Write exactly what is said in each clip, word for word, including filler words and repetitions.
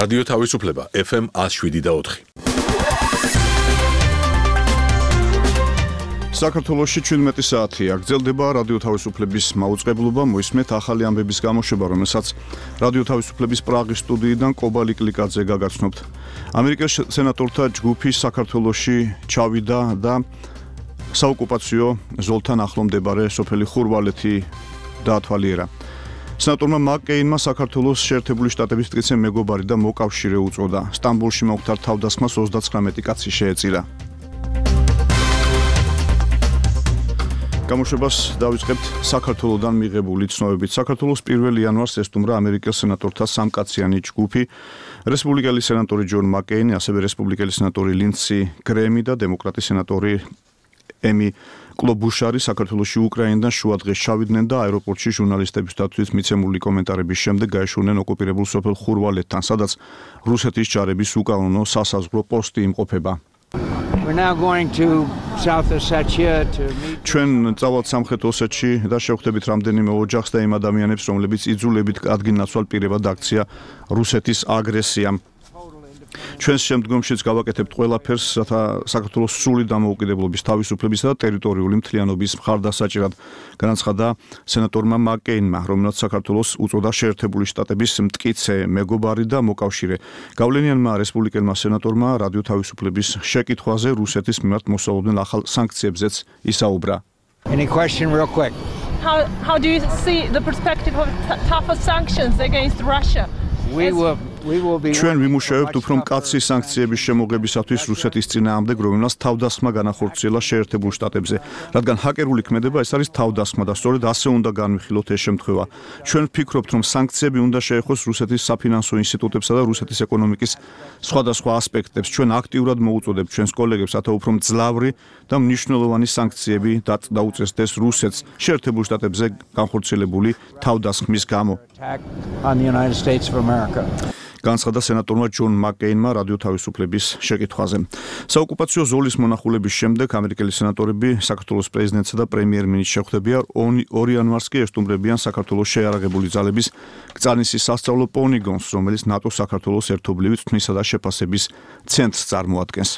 რადიო თავისუფლება ეფ ემ ათს შვიდი და ოთხი. საქართველოში ჩვიდმეტი საათია. გრძელდება რადიო თავისუფლების მაუწყებლობა, მოისმენთ ახალი ამბების გამოშვება, რომელსაც რადიო თავისუფლების პრაღის სტუდიიდან კობალი კლიკაძე გაგაცნობთ. ამერიკის სენატორთა ჯგუფი საქართველოში ჩავიდა და საოკუპაციო ზოლთან ახლო მდებარე სოფელი ხურვალეთი დაათვალიერა. სენატორმა მაკ-კეინმა საქართველოს შეერთებული შტატების მტკიცე მეგობარი და მოკავშირე უწოდა. სტამბოლში მომხდარ თავდასხმას ოცდათვრამეტი კაცი შეეწირა. გამოშვებას დავიწყებთ საქართველოსდან მიღებული ცნობებით. საქართველოს პირველ იანვარს ესტუმრა ამერიკის სენატორთა სამკაციანი ჯგუფი, რესპუბლიკელი სენატორი ჯონ მაკ-კეინი, ასევე რესპუბლიკელი სენატორი ლინდსი გრემი და დემოკრატი სენატორი ემი კლობუშარი საქართველოში უკრაინიდან შუადღეს ჩავიდნენ და აეროპორტში ჟურნალისტებისათვის მიცემული კომენტარების შემდეგ გაეშურნენ ოკუპირებულ სოფელ ხურვალეთთან, სადაც რუსეთის ჯარების უკანონო სასაზღვრო პოსტი იმყოფება. We're now going to South Ossetia to meet ჩვენ წავალთ სამხრეთ ოსეთში და შევხვდებით რამდენიმე ოჯახს და იმ ადამიანებს, რომლებიც იძულებით ადგილ-ნაცვალ პირებად აქცია რუსეთის აგრესიამ. ჩვენს შემდგომშიც გავაკეთებთ ყველაფერს, რათა საქართველოს სრული დამოუკიდებლობის, თავისუფლებისა და ტერიტორიული მთლიანობის მხარდასაჭერად, განაცხადა სენატორმა მაკ-კეინმა, რომელსაც საქართველოს უწოდა შეერთებული შტატების მტკიცე მეგობარი და მოკავშირე. გავლენიანმა რესპუბლიკელმა სენატორმა რადიო თავისუფლების შეკითხვაზე რუსეთის მიმართ მოსალოდნელ ახალ სანქციებზეც ისაუბრა. Any question real quick? How, how do you see the perspective of tougher sanctions against Russia? We will we will be ჩვენ ვიმუშავებთ უფრო მკაცრი სანქციების შემოღებისათვის რუსეთის წინააღმდეგ, რომელსაც თავდასხმა განახორციელა შეერთებულ შტატებზე. რადგან ჰაკერული ქმედება ეს არის თავდასხმა და სწორედ ასე უნდა განვიხილოთ ეს შემთხვევა. ჩვენ ვფიქრობთ, რომ სანქციები უნდა შეეხოს რუსეთის საფინანსო ინსტიტუტებსა და რუსეთის ეკონომიკის სხვადასხვა ასპექტებს. ჩვენ აქტიურად მოუწოდებთ ჩვენს კოლეგებს, რათა უფრო მძლავრი და მნიშვნელოვანი სანქციები დაუწესდეს რუსეთს შეერთებულ შტატებზე განხორციელებული თავდასხმის გამო. on the United States of America. განცხადა სენატორმა ჯონ მაკ-კეინმა რადიო თავისუფლების შეკითხვაზე. საოკუპაციო ზოლის მონახულების შემდეგ ამერიკელი სენატორები საქართველოს პრეზიდენტსა და პრემიერ-მინისტრს შეხვდებიან. ორი იანვარს კი ესტუმრებიან საქართველოს შეიარაღებული ძალების გწანისის სასწავლო პოლიგონს, რომელიც ნატოს საქართველოს ერთობლივი თქმისა და შეფასების ცენტრს წარმოადგენს.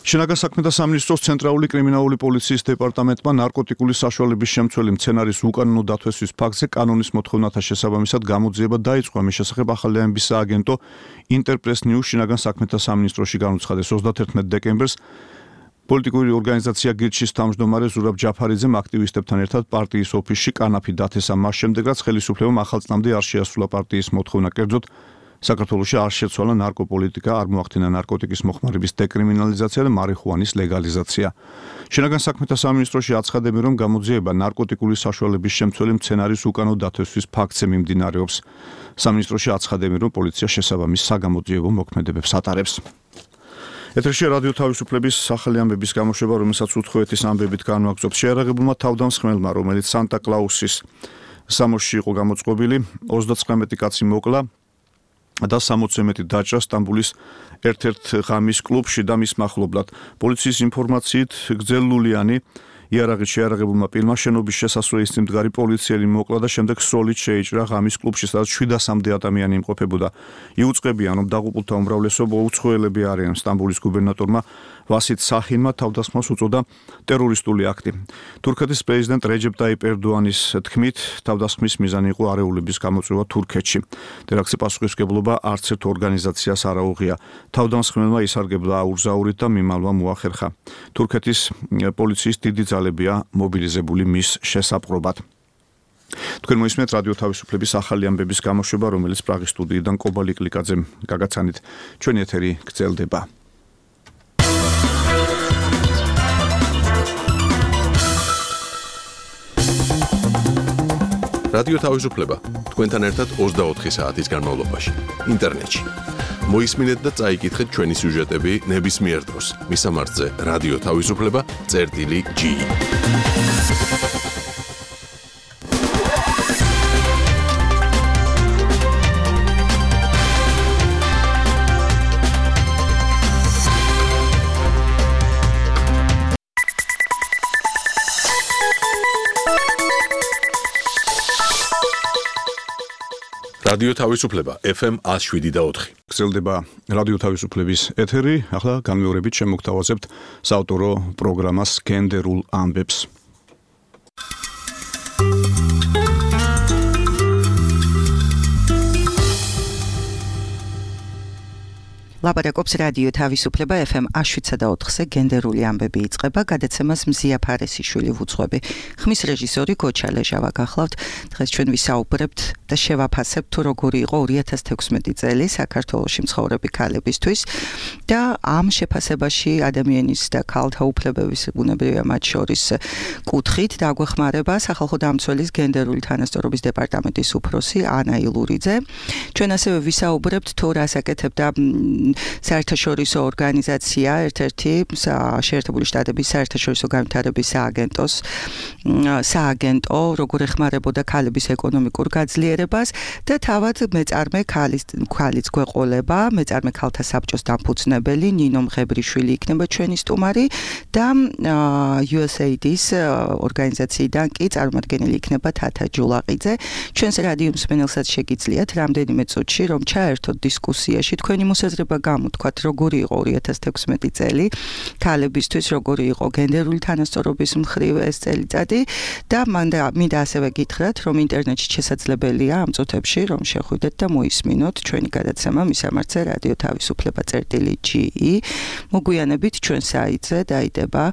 შინაგან საქმეთა სამინისტროს ცენტრალური კრიმინალური პოლიციის დეპარტამენტმა ნარკოტიკული საშუალების შემცველი მცენარის უკანონო დათვესვის ფაქტზე კანონის მოთხოვნათა შესაბამისად გამოძიება დაიწყო. ამის შესახებ ახალი ამბის სააგენტო ინტერპრეს ნიუს შინაგან საქმეთა სამინისტროში განუცხადეს. ოცდაათერთმეტ დეკემბერს პოლიტიკური ორგანიზაცია გირჩის თავმჯდომარე ზურაბ ჯაფარიძემ აქტივისტებთან ერთად პარტიის ოფისში კანაფი დათესა, მას შემდეგ რაც ხელისუფლებამ ახალწლამდე არ შეასრულა პარტიის მოთხოვნა, კერძოდ საქართველოში არ შეცვალა ნარკოპოლიტიკა, არ მოახდინა ნარკოტიკის მოხმარების დეკრიმინალიზაცია და მარიხუანის ლეგალიზაცია. შინაგან საქმეთა სამინისტროში აცხადებენ, რომ გამოძიება ნარკოტიკული საშუალების შემცველი მცენარის უკანონო დათვესვის ფაქტზე მიმდინარეობს. სამინისტროში აცხადებენ, რომ პოლიცია შესაბამის საგამოძიებო მოქმედებებს ატარებს. ეთერში რადიო თავისუფლების ახალი ამბების გამოშვება, რომელსაც უთხოვეთის ამბებით განვაგრძობთ. შეიარაღებულმა თავდამსხმელმა, რომელიც სანტა-კლაუსის სამოსში იყო გამოწყობილი, ოცდათვრამეტი კაცი მოკლა და სამოცზე მეტი დაჭრა სტამბოლის ერთ-ერთ ღამის კლუბში და მის მახლობლად. პოლიციის ინფორმაციით გრძელლულიანი იარაღით შეიარაღებულმა პირმა შენობის შესასვლელის წინ მდგარი პოლიციელი მოკლა და შემდეგ სოლით შეიჭრა ღამის კლუბში, სადაც შვიდასამდე ადამიანი იმყოფებოდა. იუწყებიან, რომ დაღუპულთა უმრავლესობა უცხოელები არიან. სტამბოლის გუბერნატორმა ვასით სახინმა თავდასხმას უწოდა ტერორისტული აქტი. თურქეთის პრეზიდენტ რეჯეპ ტაიპ ერდოანის თქმით, თავდასხმის მიზანი იყო არეულების გამოწვევა თურქეთში. ტერაქტზე პასუხისმგებლობა არც ერთ ორგანიზაციას არ აუღია. თავდამსხმელმა ისარგებლა აურზაურით და მიმალვა მოახერხა. თურქეთის პოლიციის დიდი ძალებია მობილიზებული მის შესაპყრობად. თქვენ მოისმენთ რადიო თავისუფლების ახალი ამბების გამოშვება, რომელიც პრაღის სტუდიიდან კობალი კლიკაძემ გაგაცანით. ჩვენი ეთერი გრძელდება. რადიო თავისუფლება თქვენთან ერთად ოცდაოთხი საათის განმავლობაში ინტერნეტში. მოისმინეთ და წაიკითხეთ ჩვენი სიუჟეტები ნებისმიერ დროს. მისამართზე რადიო თავისუფლება წერტილი ჯი. რადიო თავისუფლება F M one oh seven და four. გრძელდება რადიო თავისუფლების ეთერი. ახლა განმეორებით შემოგთავაზებთ საავტორო პროგრამას გენდერულ ამბებს. ლაპარაკობს რადიო თავისუფლება F M one oh seven და four-ზე გენდერული ამბები იწყება, გადაცემას მზია ფარესიშვილი ვუძღვები. ხმის რეჟისორი გოჩა ლეჟავა გახლავთ. დღეს ჩვენ ვისაუბრებთ და შევაფასებთ თუ როგორი იყო two thousand sixteen წელი საქართველოში მცხოვრები ქალებისთვის და ამ შეფასებაში ადამიანის და ქალთა უფლებების ბუნებრივია მათ შორის კუთხით დაგვეხმარება სახალხო დამცველის გენდერული თანასწორობის დეპარტამენტის უფროსი ანა ილურიძე. ჩვენ ასევე ვისაუბრებთ თუ რას აკეთებდა საერთაშორისო ორგანიზაცია, ერთ-ერთი შეერთებული შტატების საერთაშორისო განვითარების სააგენტოს სააგენტო, როგორ ეხმარებოდა ქალების ეკონომიკურ გაძლიერებას და თავად მეწარმე ქალის ქალიც გვეყოლება, მეწარმე ქალთა საბჭოს დამფუძნებელი ნინო მღებრიშვილი იქნება ჩვენი სტუმარი და U S A I D-ის ორგანიზაციიდან კი წარმომადგენელი იქნება თათა ჯულაყიძე. ჩვენს რადიო მსმენელსაც შეგიძლიათ რამდენიმე წუთში რომ ჩაერთოთ დისკუსიაში თქვენი მოსაზრება გამოთქვათ, როგორი იყო two thousand sixteen წელი ქალებისთვის, როგორი იყო გენდერული თანასწორობის მხრივ ეს წელიწადი და მანდა მინდა ასევე გითხრათ, რომ ინტერნეტში შესაძლებელია ამ წუთებში რომ შეხვიდეთ და მოისმინოთ ჩვენი გადაცემა მისამართზე რადიო თავისუფლება წერტილი G E. მოგვიანებით ჩვენ საიტზე დაიდება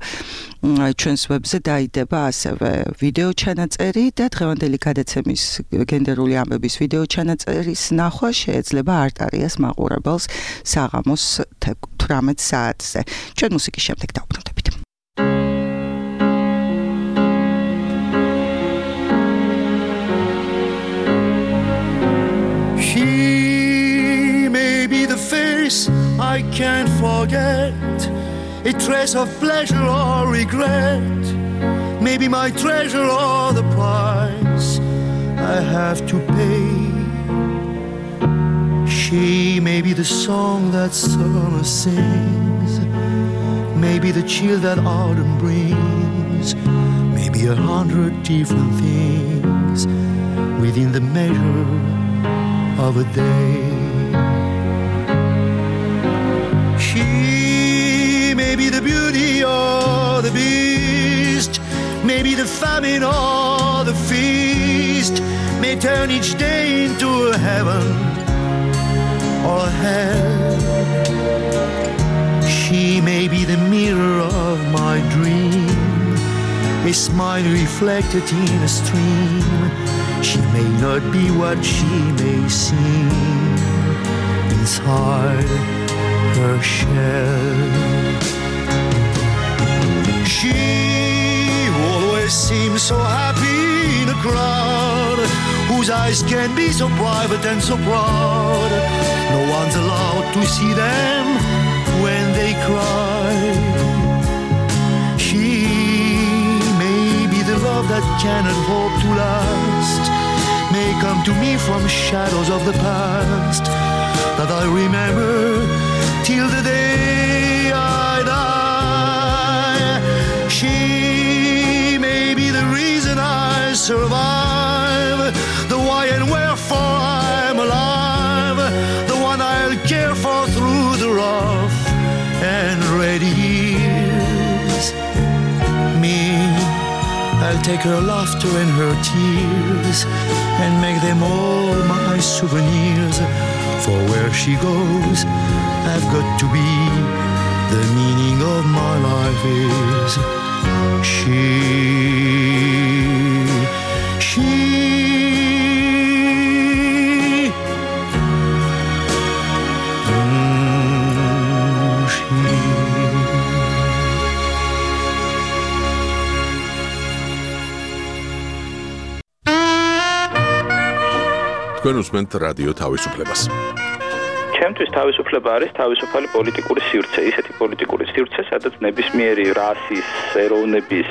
ჩვენს ვებზე დაიდება ასევე ვიდეო ჩანაწერი და დღევანდელი გადაცემის გენდერული ამბების ვიდეო ჩანაწერის ნახვა შეიძლება არტარიას მაყურებელს საღამოს eighteen საათზე. ჩვენ მუსიკის შემდეგ დავბრუნდებით. She may be the face I can't forget, a trace of pleasure or regret, maybe my treasure or the price I have to pay. She may be the song that summer sings, maybe the chill that autumn brings, maybe a hundred different things within the measure of a day. She may be the beauty or the beast, maybe the famine or the feast, may turn each day into a heaven or hell. She may be the mirror of my dream, a smile reflected in a stream. She may not be what she may seem inside her shell. She always seems so happy in a crowd, whose eyes can be so private and so proud. No one's allowed to see them when they cry. She may be the love that cannot hope to last, may come to me from shadows of the past that I remember till the day I die. She may be the reason I survive, the why and wherefore I'm alive, the one I'll care for through the rough and ready years. Me, I'll take her laughter and her tears and make them all my souvenirs. For where she goes, I've got to be. The meaning of my life is she. She. Mm, she. თქვენ უსმენთ რადიო თავისუფლებას. ჩემთვის თავისუფლება არის თავისუფალი პოლიტიკური სივრცე, ისეთი პოლიტიკური სივრცე, სადაც ნებისმიერი რასის, ეროვნების,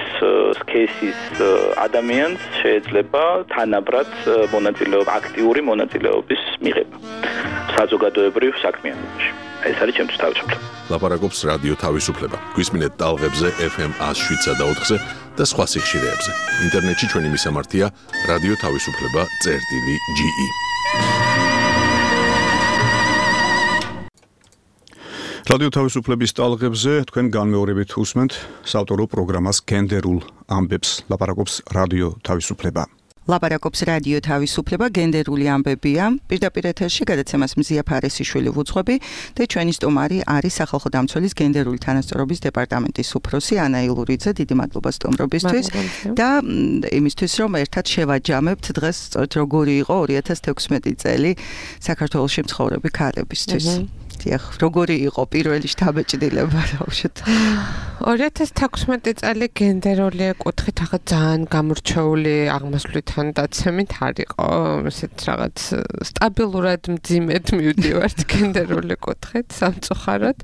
სქესის ადამიანს შეიძლება თანაბრად მონაწილეობა, აქტიური მონაწილეობის მიღება საზოგადოებრივ საქმიანობაში. ეს არის ჩემთვის თავისუფლება. ლაპარაკობს რადიო თავისუფლება. გვისმინეთ ტალღებზე F M one oh seven და four-ზე და სხვა სიხშირეებზე. ინტერნეტში ჩვენი მისამართია რადიო თავისუფლება წერტილი G E. რადიო თავისუფლების ტალღებზე თქვენ განმეორებით უსმენთ საავტორო პროგრამას გენდერულ ამბებს, ლაპარაკობს რადიო თავისუფლება. ლაპარაკობს რადიო თავისუფლება, გენდერული ამბებია. პირდაპირ ეთერში გადაცემას მზია ფარესიშვილი ვუძღვები და ჩვენი სტუმარი არის სახალხო დამცველის გენდერული თანასწორობის დეპარტამენტის უფროსი ანა ილურიძე. დიდი მადლობა სტუმრობისთვის და იმისთვის რომ ერთად შევაჯამებთ დღეს როგორი იყო ორი ათას თექვსმეტი წელი საქართველოში მცხოვრები ქალებისთვის. დიახ, როგორი იყო პირველი შთაბეჭდილება ბავშვით? ორი ათას თექვსმეტი წელი გენდერული კუთხით რაღაც ძალიან გამორჩეული აღმასვლთან დაცემით არ იყო, ესეთ რაღაც სტაბილურად მძიმედ მივდივართ გენდერული კუთხით სამწუხაროდ.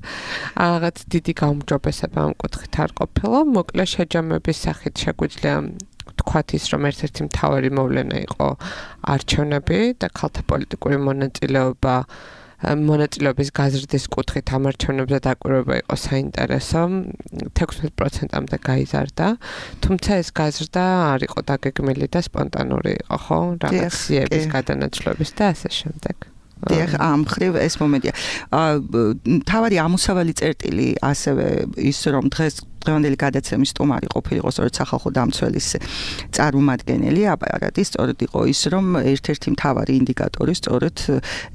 რაღაც დიდი გაუმჯობესება ამ კუთხით არ ყოფილა, მოკლე შეჯამების სახით შეგვიძლია თქვათ ის რომ ერთ-ერთი მთავარი მოვლენა იყო არჩევნები და ქალთა პოლიტიკური მონაწილეობა მონაწილეობის გაზრდის კუთხით ამ არჩევნებზე დაკვირვება იყო საინტერესო. თექვსმეტ პროცენტამდე გაიზარდა, თუმცა ეს გაზრდა არ იყო დაგეგმილი და სპონტანური იყო, ხო? რაღაც სიების გადანაცვლების და ასე შემდეგ. დიახ, ამ ხრივ ეს მომენტია. თავარი ამოსავალი წერტილი ასევე ის რომ დღეს დღევანდელი გადაცემის სტუმარი ყოფილიყო სწორედ სახალხო დამცველის წარმომადგენელი აპარატის, სწორედ იყო ის რომ ერთ-ერთი მთავარი ინდიკატორი სწორედ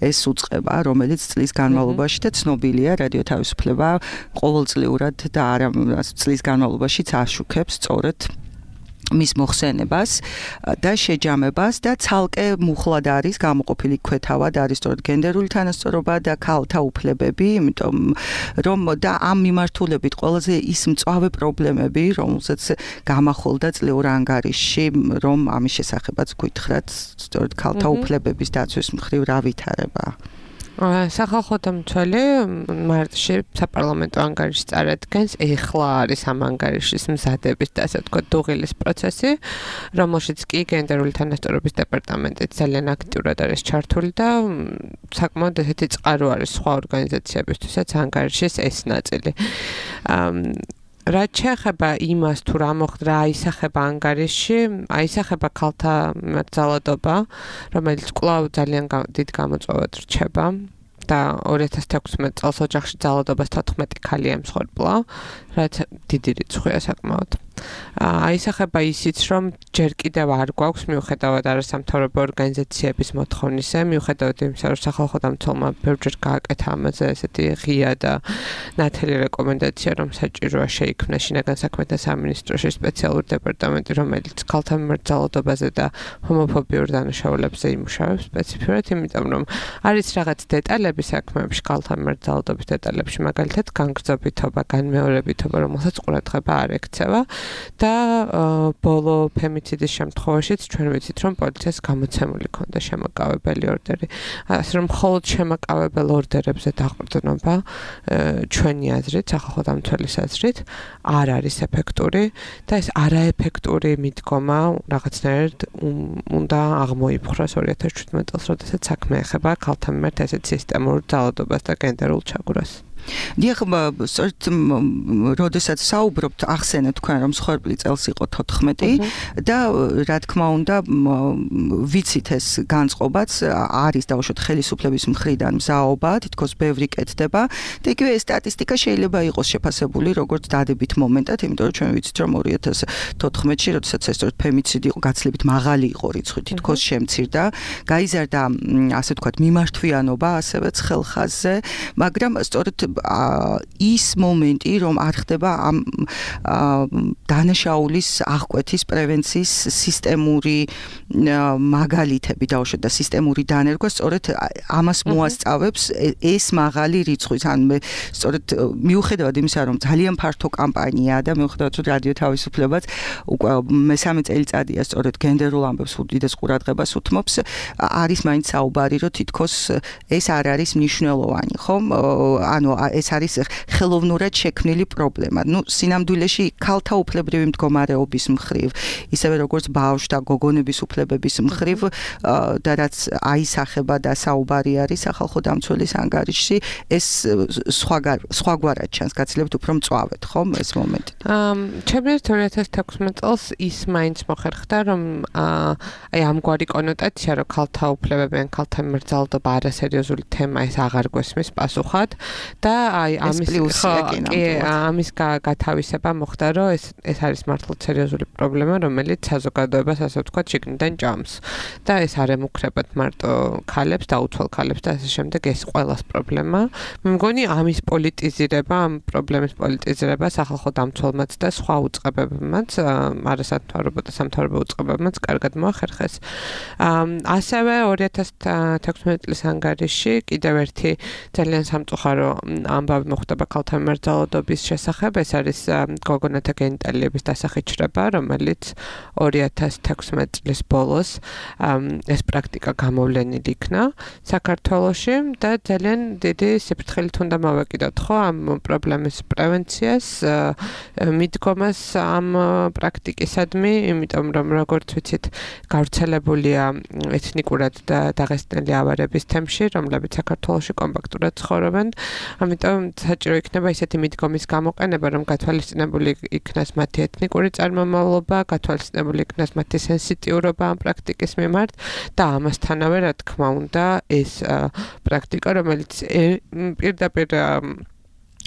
ეს უწყება, რომელიც წლის განმავლობაში და ცნობილია რადიო თავისუფლება ყოველწლიურად და არა წლის განმავლობაშიც აშუქებს სწორედ მის მოხსენებას და შეჯამებას და ცალკე მუხლად არის გამოყოფილი ქვეთავად არის სწორედ გენდერული თანასწორობა და ქალთა უფლებები, იმიტომ რომ და ამ მიმართულებით ყველაზე ის მწვავე პრობლემები, რომელსაც გამახოლდა წლიურ ანგარიშში, რომ ამის შესახებაც გითხრათ, სწორედ ქალთა უფლებების დაცვის მხრივ რა ვითარება. სახალხო დამცველი მარტში საპარლამენტო ანგარიშს წარადგენს, ეხლა არის ამ ანგარიშის მზადების და ასე ვთქვათ დუღილის პროცესი, რომელშიც კი გენდერული თანასწორობის დეპარტამენტი ძალიან აქტიურად არის ჩართული და საკმაოდ ესეთი წყარო არის სხვა ორგანიზაციებისთვისაც ანგარიშის ეს ნაწილი. რაც შეეხება იმას თუ რა მოხდა, რა აისახება ანგარიშში, აისახება ქალთა ძალადობა, რომელიც კვლავ ძალიან დიდ გამოწვევად რჩება და ორი ათას თექვსმეტ წელს ოჯახში ძალადობას თოთხმეტი ქალი ემსხვერპლა, რაც დიდი რიცხვია საკმაოდ. აისახება ისიც, რომ ჯერ კიდევ არ გვაქვს მიუხედავად არასამთავრობო ორგანიზაციების მოთხოვნისა, მიუხედავად იმისა, რომ სახალხო დამცველმა ბევრჯერ გააკეთა ამაზე ესეთი ღია და ნათელი რეკომენდაცია, რომ საჭიროა შეიქმნა შინაგან საქმეთა სამინისტროში სპეციალური დეპარტამენტი, რომელიც ქალთა მიმართ ძალადობაზე და ჰომოფობიურ დანაშაულებზე იმუშავებს სპეციფიურად, იმიტომ რომ არის რაღაც დეტალები საქმეებში, ქალთა მიმართ ძალადობის დეტალებში, მაგალითად განგრძობითობა, განმეორებითობა, რომელსაც ყურადღება არ ექცევა. და ბოლო ფემიციდის შემთხვევაშიც ჩვენ ვიცით, რომ პოლიციას გამოცემული ქონდა შემაკავებელი ორდერი. ასე რომ მხოლოდ შემაკავებელ ორდერებზე დაყრდნობა ჩვენი აზრით, სახალხო დამცველის აზრით, არ არის ეფექტური და ეს არაეფექტური მიდგომა რაღაცნაირად უნდა აღმოიფხვრას ორი ათას შვიდმეტ წელს, როდესაც საქმე ეხება ქალთა მიმართ ესეთ სისტემურ ძალადობას და გენდერულ ჩაგვრას. დიახ, სწორედ როდესაც საუბრობთ, ახსენეთ თქვენ რომ მსხვერპლი წელს იყო თოთხმეტი და რა თქმა უნდა ვიცით ეს განწყობაც არის დაუშვათ ხელისუფლების მხრიდან მზაობა, თითქოს ბევრი კეთდება და იგივე ეს სტატისტიკა შეიძლება იყოს შეფასებული როგორც დადებით მომენტად, იმიტომ რომ ჩვენ ვიცით რომ ორი ათას თოთხმეტში, როდესაც ეს სწორედ ფემიციდი იყო გაცილებით მაღალი იყო რიცხვი, თითქოს შემცირდა, გაიზარდა ასე ვთქვათ მიმართვიანობა ასევე ცხელხაზზე, მაგრამ სწორედ ის მომენტი, რომ არ ხდება ამ დანაშაულის აღკვეთის პრევენციის სისტემური მაგალითები დაუშვათ და სისტემური დანერგვა, სწორედ ამას მოასწავებს ეს მაღალი რიცხვი. ან მე სწორედ მიუხედავად იმისა, რომ ძალიან ფართო კამპანიაა და მიუხედავად რომ რადიო თავისუფლებაც უკვე მესამე წელიწადია სწორედ გენდერულ ამბებს უდიდეს ყურადღებას უთმობს, არის მაინც საუბარი, რომ თითქოს ეს არ არის მნიშვნელოვანი, ხომ? ანუ ეს არის ხელოვნურად შექმნილი პრობლემა. ნუ სინამდვილეში ქალთა უფლებრივი მდგომარეობის მხრივ, ისევე როგორც ბავშვთა გოგონების უფლებების მხრივ და რაც აისახება და საუბარი არის სახალხო დამცველის ანგარიშში, ეს სხვაგვარად ჩანს, გაცილებით უფრო მწვავედ, ხომ ეს მომენტი. ჩემი ორი ათას თექვსმეტ წელს ის მაინც მოხერხდა, რომ აი ამგვარი კონოტაცია, რომ ქალთა უფლებები ან ქალთა მიმართ ძალადობა არასერიოზული თემა, ეს აღარ გვესმის პასუხად და და აი ამის კი ამის გათავისება მოხდა, რომ ეს ეს არის მართლაც სერიოზული პრობლემა, რომელიც საზოგადოებას ასე ვთქვათ შიგნიდან ჭამს. და ეს არ ემუქრებათ მარტო ქალებს და უცვალ ქალებს და ასე შემდეგ, ეს ყველას პრობლემა. მე მგონი ამის პოლიტიზირება, ამ პრობლემის პოლიტიზირება სახალხო დამცველმაც და სხვა უწყებებმაც, არასამთავრობო და სამთავრობო უწყებებმაც კარგად მოახერხეს. ასევე ორი ათას თექვსმეტი წლის ანგარიში კიდევ ერთი ძალიან სამწუხარო ამბავი მოხდება ქალთა მიმართ ძალადობის შესახებ, ეს არის გოგონათა გენიტალიების დასახიჩრება, რომელიც ორი ათას თექვსმეტი წლის ბოლოს ეს პრაქტიკა გამოვლენილი იქნა საქართველოში და ძალიან დიდი სიფრთხილით უნდა მოვეკიდოთ ხო ამ პრობლემის პრევენციას, მიდგომას ამ პრაქტიკისადმი, იმიტომ რომ როგორც ვიცით, გავრცელებულია ეთნიკურად და დაღესტნელი ავარების თემში, რომლებიც საქართველოში კომპაქტურად ცხოვრობენ. ამიტომ საჭირო იქნება ისეთი მიდგომის გამოყენება, რომ გათვალისწინებული იქნას მათი ეთნიკური წარმომავლობა, გათვალისწინებული იქნას მათი სენსიტიურობა ამ პრაქტიკის მიმართ და ამასთანავე, რა თქმა უნდა, ეს პრაქტიკა, რომელიც პირდაპირ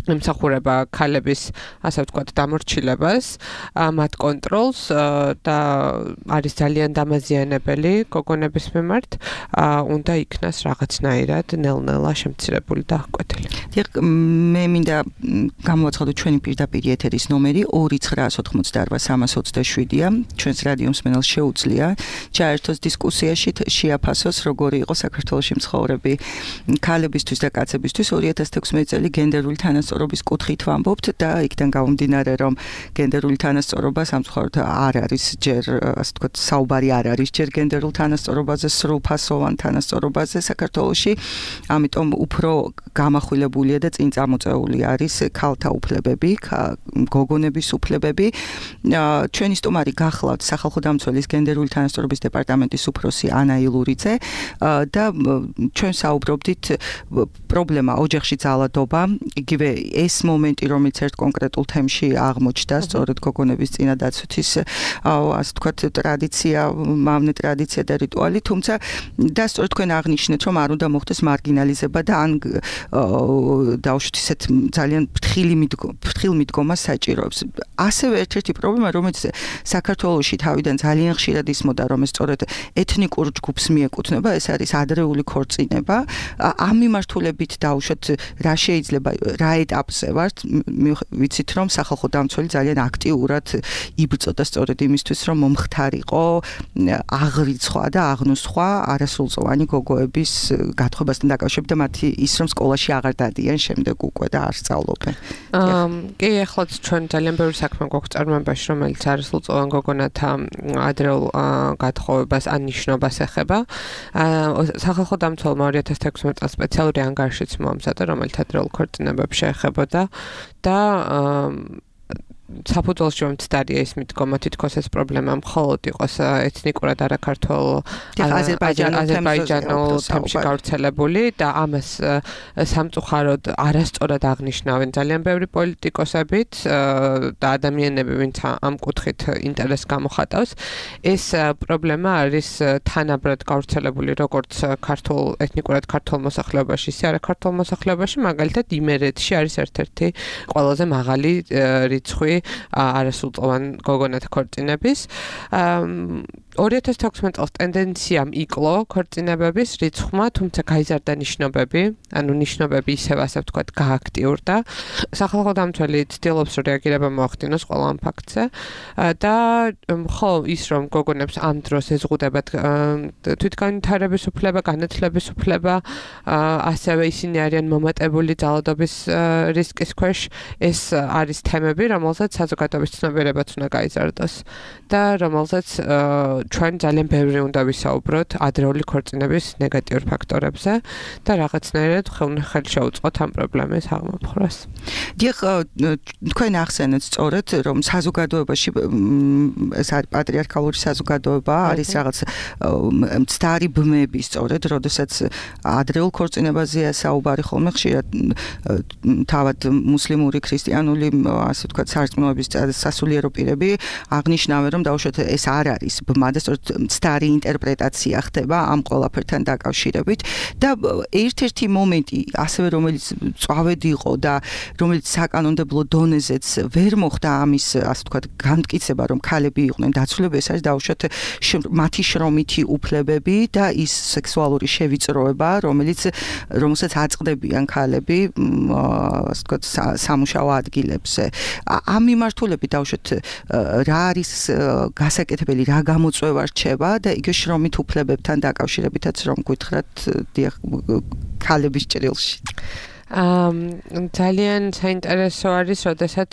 ემსახურება ქალების, ასე ვთქვათ, დამორჩილებას, მათ კონტროლს და არის ძალიან დამაზიანებელი გოგონების მიმართ, უნდა იქნას რაღაცნაირად ნელ-ნელა შემცირებული და აღკვეთილი. დიახ, მე მინდა გამოვაცხადო ჩვენი პირდაპირ ეთერის ნომერი ორი ცხრაას ოთხმოცდაარბა სამას ოცდაშვიდია. ჩვენს რადიო მსმენელს შეუძლია ჩაერთოს დისკუსიაში, შეაფასოს, როგორი იყო საქართველოში მცხოვრები ქალებისთვის და კაცებისთვის ორი ათას თექვსმეტი წელი გენდერული თანასწორობის კუთხით ვამბობთ და იქიდან გამომდინარე, რომ გენდერული თანასწორობა სამწუხაროდ არ არის ჯერ, ასე ვთქვათ, საუბარი არ არის ჯერ გენდერულ თანასწორობაზე, სრულფასოვან თანასწორობაზე საქართველოში, ამიტომ უფრო გამახვილებულია და წინ წამოწეული არის ქალთა უფლებები, გოგონების უფლებები. ჩვენი სტუმარი გახლავთ სახალხო დამცველის გენდერული თანასწორობის დეპარტამენტის უფროსი ანა ილურიძე და ჩვენ საუბრობდით პრობლემა ოჯახში ძალადობა, იგივე ეს მომენტი, რომელიც ერთ კონკრეტულ თემში აღმოჩნდა, სწორედ გოგონების წინადაცვის, ასე ვთქვათ, ტრადიცია, მავნე ტრადიცია და რიტუალი, თუმცა და სწორედ თქვენ აღნიშნეთ, რომ არ უნდა მოხდეს მარგინალიზება და ან დაუშვით ისეთ ძალიან ფრთხილი ფრთხილ მიდგომას საჭიროებს. ასევე ერთ-ერთი პრობლემა, რომელიც საქართველოში თავიდან ძალიან ხშირად ისმოდა, რომ ეს სწორედ ეთნიკურ ჯგუფს მიეკუთვნება, ეს არის ადრეული ქორწინება. ამ მიმართულებით დაუშვით რა შეიძლება, რა ეტაპზე ვართ, ვიცით, რომ სახალხო დამცველი ძალიან აქტიურად იბრძოდა სწორედ იმისთვის, რომ მომხდარიყო აღრიცხვა და აღნუსხვა არასრულწლოვანი გოგოების გათხოვებასთან დაკავშირებით და მათი ის, რომ სკოლაში აღარ დადიან შემდეგ უკვე და არ სწავლობენ. კი, ახლაც ჩვენ ძალიან ბევრი საქმე გვაქვს წარმოებაში, რომელიც არასრულწლოვან გოგონათა ადრეულ გათხოვებას ან ნიშნობას ეხება. სახალხო დამცველმა ორი ათას თექვსმეტი წელს სპეციალური ანგარიშიც მოამზადა, რომელიც ადრეულ ქორწინებებს შეეხებოდა და საფუძველში მომცდარია ის მიდგომა, თითქოს ეს პრობლემა მხოლოდ იყოს ეთნიკურად არაქართულ აზერბაიჯანულ თემში გავრცელებული და ამას სამწუხაროდ არასწორად აღნიშნავენ ძალიან ბევრი პოლიტიკოსებით და ადამიანები, ვინც ამ კუთხით ინტერესს გამოხატავს. ეს პრობლემა არის თანაბრად გავრცელებული როგორც ქართულ ეთნიკურად ქართულ მოსახლეობაში, ისე არაქართულ მოსახლეობაში, მაგალითად იმერეთში არის ერთ-ერთი ყველაზე მაღალი რიცხვი არასრულწლოვან გოგონათა ქორწინების. ორი ათას თექვსმეტი წელს ტენდენციამ იკლო ქორწინებების რიცხვმა, თუმცა გაიზარდა ნიშნობები, ანუ ნიშნობები ისევ ასე ვთქვათ გააქტიურდა. სახალხო დამცველი ცდილობს რეაგირება მოახდინოს ყველა ამ ფაქტზე და ხო ის რომ გოგონებს ამ დროს ეზღუდებათ თვითგანვითარების უფლება, განათლების უფლება, ასევე ისინი არიან მომატებული ძალადობის რისკის ქვეშ, ეს არის თემები, რომელზეც საზოგადოების ცნობიერებაც უნდა გაიზარდოს და რომელზეც ჩვენ ძალიან ბევრი უნდა ვისაუბროთ ადრეული ქორწინების ნეგატიურ ფაქტორებზე და რაღაცნაირად ხელი შეუწყოთ ამ პრობლემის აღმოფხვრას. დიახ, თქვენ ახსენეთ სწორედ, რომ საზოგადოებაში ეს არის პატრიარქალური საზოგადოება, არის რაღაც მცდარი ბმები სწორედ, როდესაც ადრეულ ქორწინებაზეა საუბარი ხოლმე ხშირად თავად მუსლიმური, ქრისტიანული, ასე ვთქვათ, სარწმუნოების სასულიერო პირები აღნიშნავენ, რომ დაუშვათ ეს არ არის ბმა და სწორედ მცდარი ინტერპრეტაცია ხდება ამ ყველაფერთან დაკავშირებით და ერთ-ერთი მომენტი ასევე რომელიც წვავედი იყო და რომელიც საკანონმდებლო დონეზეც ვერ მოხდა ამის ასე ვთქვათ განმტკიცება რომ ქალები იყვნენ დაცულები ეს არის დაუშვათ მათი შრომითი უფლებები და ის სექსუალური შევიწროება რომელიც რომელსაც აწყდებიან ქალები ასე ვთქვათ სამუშაო ადგილებზე ამ მიმართულებით დაუშვათ რა არის გასაკეთებელი რა გამოწვევა რჩება და იგივე შრომით უფლებებთან დაკავშირებითაც რომ გითხრათ ქალების ჭრილში Um, ძალიან საინტერესო არის, როდესაც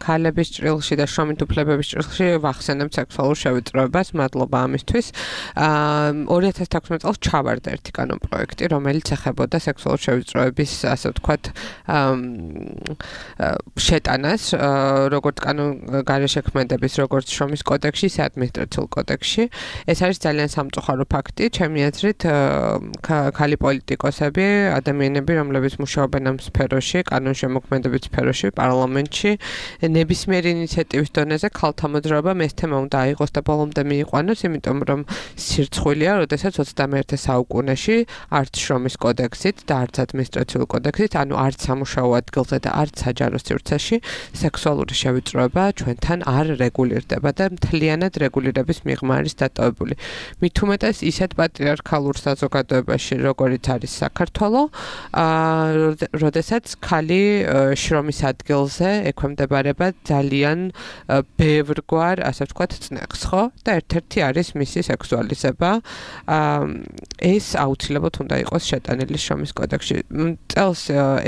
ქალების ჭრილში და შრომით უფლებების ჭრილში ვახსენებთ სექსუალურ შევიწროებას, მადლობა ამისთვის. ორი ათას თექვსმეტ წელს ჩავარდა ერთი კანონ პროექტი, რომელიც ეხებოდა სექსუალურ შევიწროების, ასე ვთქვათ, შეტანას, როგორც კანონ გარეშექმედების, როგორც შრომის კოდექსში, ისე ადმინისტრაციულ კოდექსში. ეს არის ძალიან სამწუხარო ფაქტი, ჩემი აზრით, ქალი პოლიტიკოსები, ადამიანები, რომლებიც მუშაობენ ამ სფეროში, კანონშემოქმედების სფეროში, პარლამენტში, ნებისმიერი ინიციატივის დონეზე ქალთა მოძრაობა ეს თემა უნდა აიღოს და ბოლომდე მიიყვანოს, იმიტომ რომ სირცხვილია, როდესაც ოცდამეერთე საუკუნეში არც შრომის კოდექსით და არც ადმინისტრაციულ კოდექსით, ანუ არც სამუშაო ადგილზე და არც საჯარო სივრცეში სექსუალური შევიწროება ჩვენთან არ რეგულირდება და მთლიანად რეგულირების მიღმა არის დატოვებული. მით უმეტეს ისეთ პატრიარქალურ საზოგადოებაში, როგორიც არის საქართველო, აა როდესაც ქალი შრომის ადგილზე ექვემდებარება ძალიან ბევრგვარ, ასე ვთქვათ, წნეხს, ხო? და ერთ-ერთი არის მისი სექსუალიზება. ეს აუცილებლად უნდა იყოს შეტანილი შრომის კოდექსში. წელს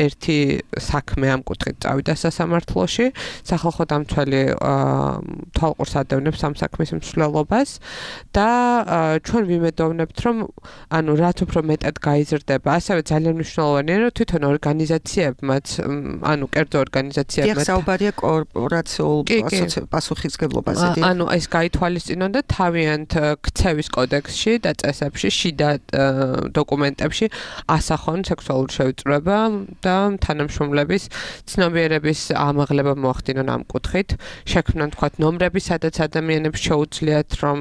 ერთი საქმე ამ კუთხით წავიდა სასამართლოში, სახალხო დამცველი თვალყურს ადევნებს ამ საქმის მსვლელობას და ჩვენ ვიმედოვნებთ, რომ ანუ რაც უფრო მეტად გაიზრდება, ასევე ძალიან მნიშვნელოვანია, რომ თვითონ ორგანიზაციებმაც, ანუ კერძო ორგანიზაციებმაც დიახსაუბარია კორპორაციულ პასუხისმგებლობაზე. ანუ ეს გაითვალისწინონ და თავიანთ ქცევის კოდექსში და წესებში, შიდა დოკუმენტებში ასახონ სექსუალური შევიწროება და თანამშრომლების ცნობიერების ამაღლება მოახდინონ ამ კუთხით. შექმნან თქვათ ნომრები, სადაც ადამიანებს შეუძლიათ რომ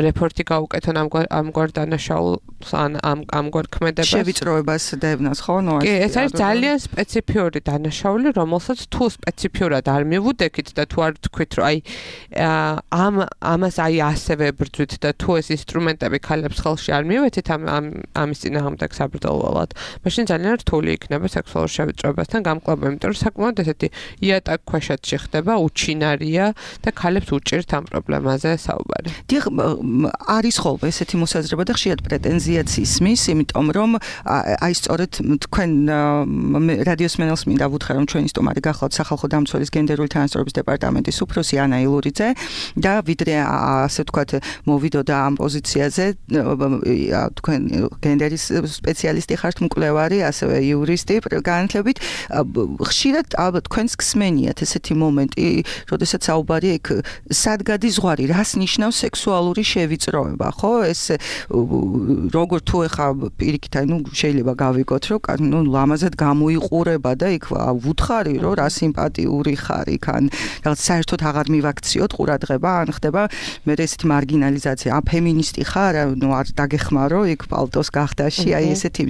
რეპორტი გაუკეთონ ამგვარ დანაშაულს ან ამგვარ ქმედებას. შევიწროებას დევნოს ხო? ნუ კი, ეს არის ძალიან სპეციფიური დანაშაული, რომელსაც თუ სპეციფიურად არ მივუდექით და თუ არ თქვით, რომ აი ამ ამას აი ასევე ბრძვით და თუ ეს ინსტრუმენტები ქალებს ხელში არ მივეცით ამ ამის წინააღმდეგ საბრძოლველად, მაშინ ძალიან რთული იქნება სექსუალურ შევიწროებასთან გამკლავება, იმიტომ რომ საკმაოდ ესეთი იატაკ ქვეშეთში ხდება, უჩინარია და ქალებს უჭირთ ამ პრობლემაზე საუბარი. დიახ, არის ხოლმე ესეთი მოსაზრება და ხშირად პრეტენზიაც ისმის, იმიტომ რომ აი სწორედ თქვენ რადიოს მენელს მინდა ვუთხრა რომ ჩვენი სტუმარი გახლავთ სახალხო დამცველის გენდერული თანასწორობის დეპარტამენტის უფროსი ანა ილურიძე და ვიდრე ასე ვთქვათ მოვიდოდა ამ პოზიციაზე თქვენ გენდერის სპეციალისტი ხართ მკვლევარი ასევე იურისტი განათლებით ხშირად ალბათ თქვენს გსმენიათ ესეთი მომენტი როდესაც საუბარია იქ სად გადის ზღვარი რას ნიშნავს სექსუალური შევიწროება ხო ეს როგორ თუ ეხა პირიქით აი ნუ შეიძლება გავიგოთ რომ ნუ ლამაზად გამოიყურება და იქ ვუთხარი რომ რა სიმპათიური ხარ იქ ან რაღაც საერთოდ აღარ მივაქციოთ ყურადღება ან ხდება მე ესეთი მარგინალიზაცია ა ფემინისტი ხარ ნუ არ დაგეხმარო იქ პალტოს გახდაში აი ესეთი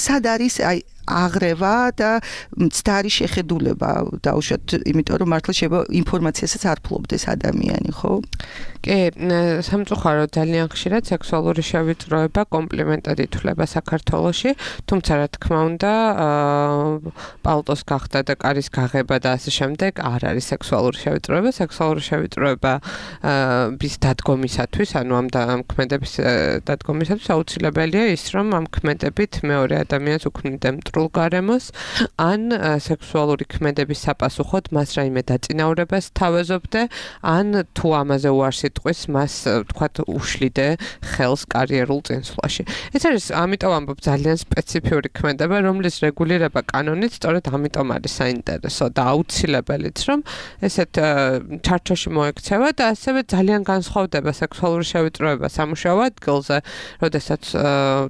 სად არის აი აღრევა და მცდარი შეხედულება დაუშვათ იმიტომ რომ მართლა შეიძლება ინფორმაციასაც არ ფლობდეს ადამიანი ხო? კი, სამწუხაროდ ძალიან ხშირად სექსუალური შევიწროება კომპლიმენტად ითვლება საქართველოში, თუმცა რა თქმა უნდა, პალტოს გახდა და კარის გაღება და ასე შემდეგ არ არის სექსუალური შევიწროება, სექსუალური შევიწროება ის დადგომისათვის, ანუ ამ ქმედების დადგომისათვის აუცილებელია ის, რომ ამ ქმედებით მეორე ადამიანს უქმნიდა მტრულ გარემოს, ან სექსუალური ქმედების საპასუხოდ მას რაიმე დაწინაურებას თავაზობდე, ან თუ ამაზე უარს იტყვის მას თქვათ უშლიდე ხელს კარიერულ წინსვლაში. ეს არის ამიტომ ამბობ ძალიან სპეციფიური ქმედება, რომლის რეგულირება კანონით სწორედ ამიტომ არის საინტერესო და აუცილებელიც, რომ ესეთ ჩარჩოში მოექცევა და ასევე ძალიან განსხვავდება სექსუალური შევიწროება სამუშაო ადგილზე, როდესაც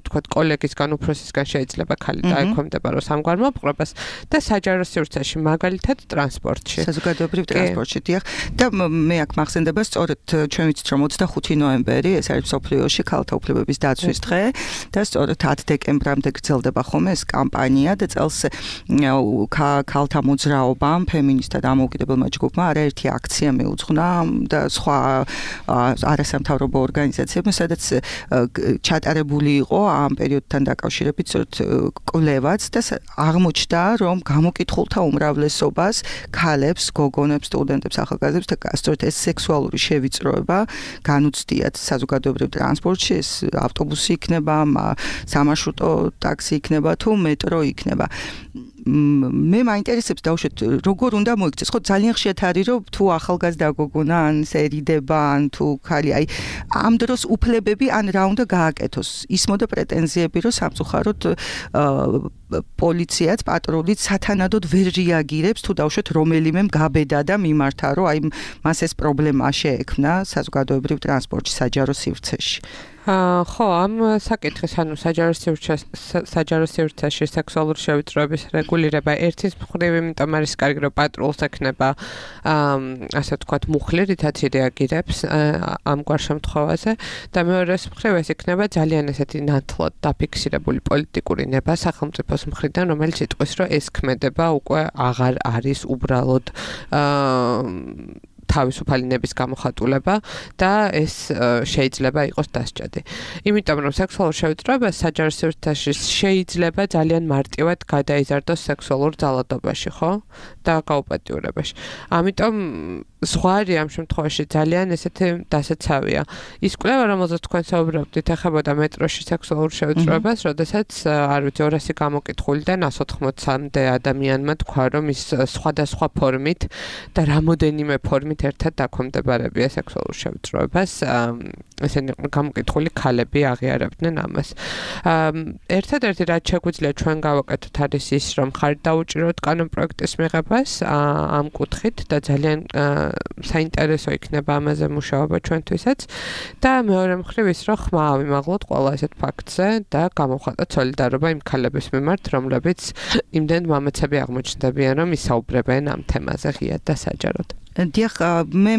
თქვათ კოლეგისგან უფროსისგან შეიძლება ქალი დაექვემდებარა ემყარდება სამგვარ მოპყრობას და საჯარო სივრცეში, მაგალითად ტრანსპორტში. საზოგადოებრივ ტრანსპორტში, დიახ. და მე აქ მახსენდება სწორედ ჩვენ ვიცით რომ ოცდახუთი ნოემბერი ეს არის მსოფლიოში ქალთა უფლებების დაცვის დღე და სწორედ ათი დეკემბრამდე გრძელდება ხოლმე ეს კამპანია და წელს ქალთა მოძრაობამ, ფემინისტთა დამოუკიდებელმა ჯგუფმა არაერთი აქცია მიუძღვნა და სხვა არასამთავრობო ორგანიზაციებმა, სადაც ჩატარებული იყო ამ პერიოდთან დაკავშირებით სწორედ კვლევაც და აღმოჩნდა, რომ გამოკითხულთა უმრავლესობას ქალებს, გოგონებს, სტუდენტებს, ახალგაზრდებს და სწორედ ეს სექსუალური შევიწროება განუცდიათ საზოგადოებრივ ტრანსპორტში, ეს ავტობუსი იქნება, სამარშრუტო ტაქსი იქნება თუ მეტრო იქნება. მე მაინტერესებს დაუშვათ როგორ უნდა მოიქცეს, ხო ძალიან ხშირად არის რომ თუ ახალგაზრდა გოგონა ან სერიდება ან თუ ხალი აი ამ დროს უფლებები ან რა უნდა გააკეთოს. ისმოდა პრეტენზიები რომ სამწუხაროდ პოლიციაც, პატრულიც სათანადოდ ვერ რეაგირებს თუ დაუშვათ რომელიმე გაბედა და მიმართა რომ აი მას ეს პრობლემა შეექმნა საზოგადოებრივ ტრანსპორტში, საჯარო სივრცეში. ხო, ამ საკითხის, ანუ საჯარო სივრცეში, საჯარო სივრცეში სექსუალური შევიწროების რეგულირება ერთის მხრივ იმიტომ არის კარგი, რომ პატრულს ექნება ასე ვთქვათ მუხლი, რითაც რეაგირებს ამგვარ შემთხვევაზე და მეორეს მხრივ ეს იქნება ძალიან ესეთი ნათლად დაფიქსირებული პოლიტიკური ნება სახელმწიფოს მხრიდან, რომელიც იტყვის, რომ ეს ქმედება უკვე აღარ არის უბრალოდ თავისუფალი ნების გამოხატულება და ეს შეიძლება იყოს დასჭადი. იმიტომ რომ სექსუალურ შევიწროებას საჯარო სივრცეში შეიძლება ძალიან მარტივად გადაიზარდოს სექსუალურ ძალადობაში, ხო? და გაუპატიურებაში. ამიტომ ზღვარი ამ შემთხვევაში ძალიან ესეთი დასაცავია. ის კვლევა, რომელზეც თქვენ საუბრობდით, ეხებოდა მეტროში სექსუალურ შევიწროებას, როდესაც არ ვიცი ორასი გამოკითხულიდან ას ოთხმოცამდე ადამიანმა თქვა, რომ ის სხვადასხვა ფორმით და რამოდენიმე ფორმით ერთად დაქვემდებარებია სექსუალურ შევიწროებას. ესენი გამოკითხული ქალები აღიარებდნენ ამას. ერთადერთი რაც შეგვიძლია ჩვენ გავაკეთოთ არის ის, რომ ხართ დაუჭიროთ კანონპროექტის მიღებას ამ კუთხით და ძალიან საინტერესო იქნება ამაზე მუშაობა ჩვენთვისაც და მეორე მხრივ ის, რომ ხმა ავიმაღლოთ ყველა ასეთ ფაქტზე და გამოვხატოთ სოლიდარობა იმ ქალების მიმართ, რომლებიც იმდენ მამაცები აღმოჩნდებიან, რომ ისაუბრებენ ამ თემაზე ღიად და საჯაროდ. დიახ, მე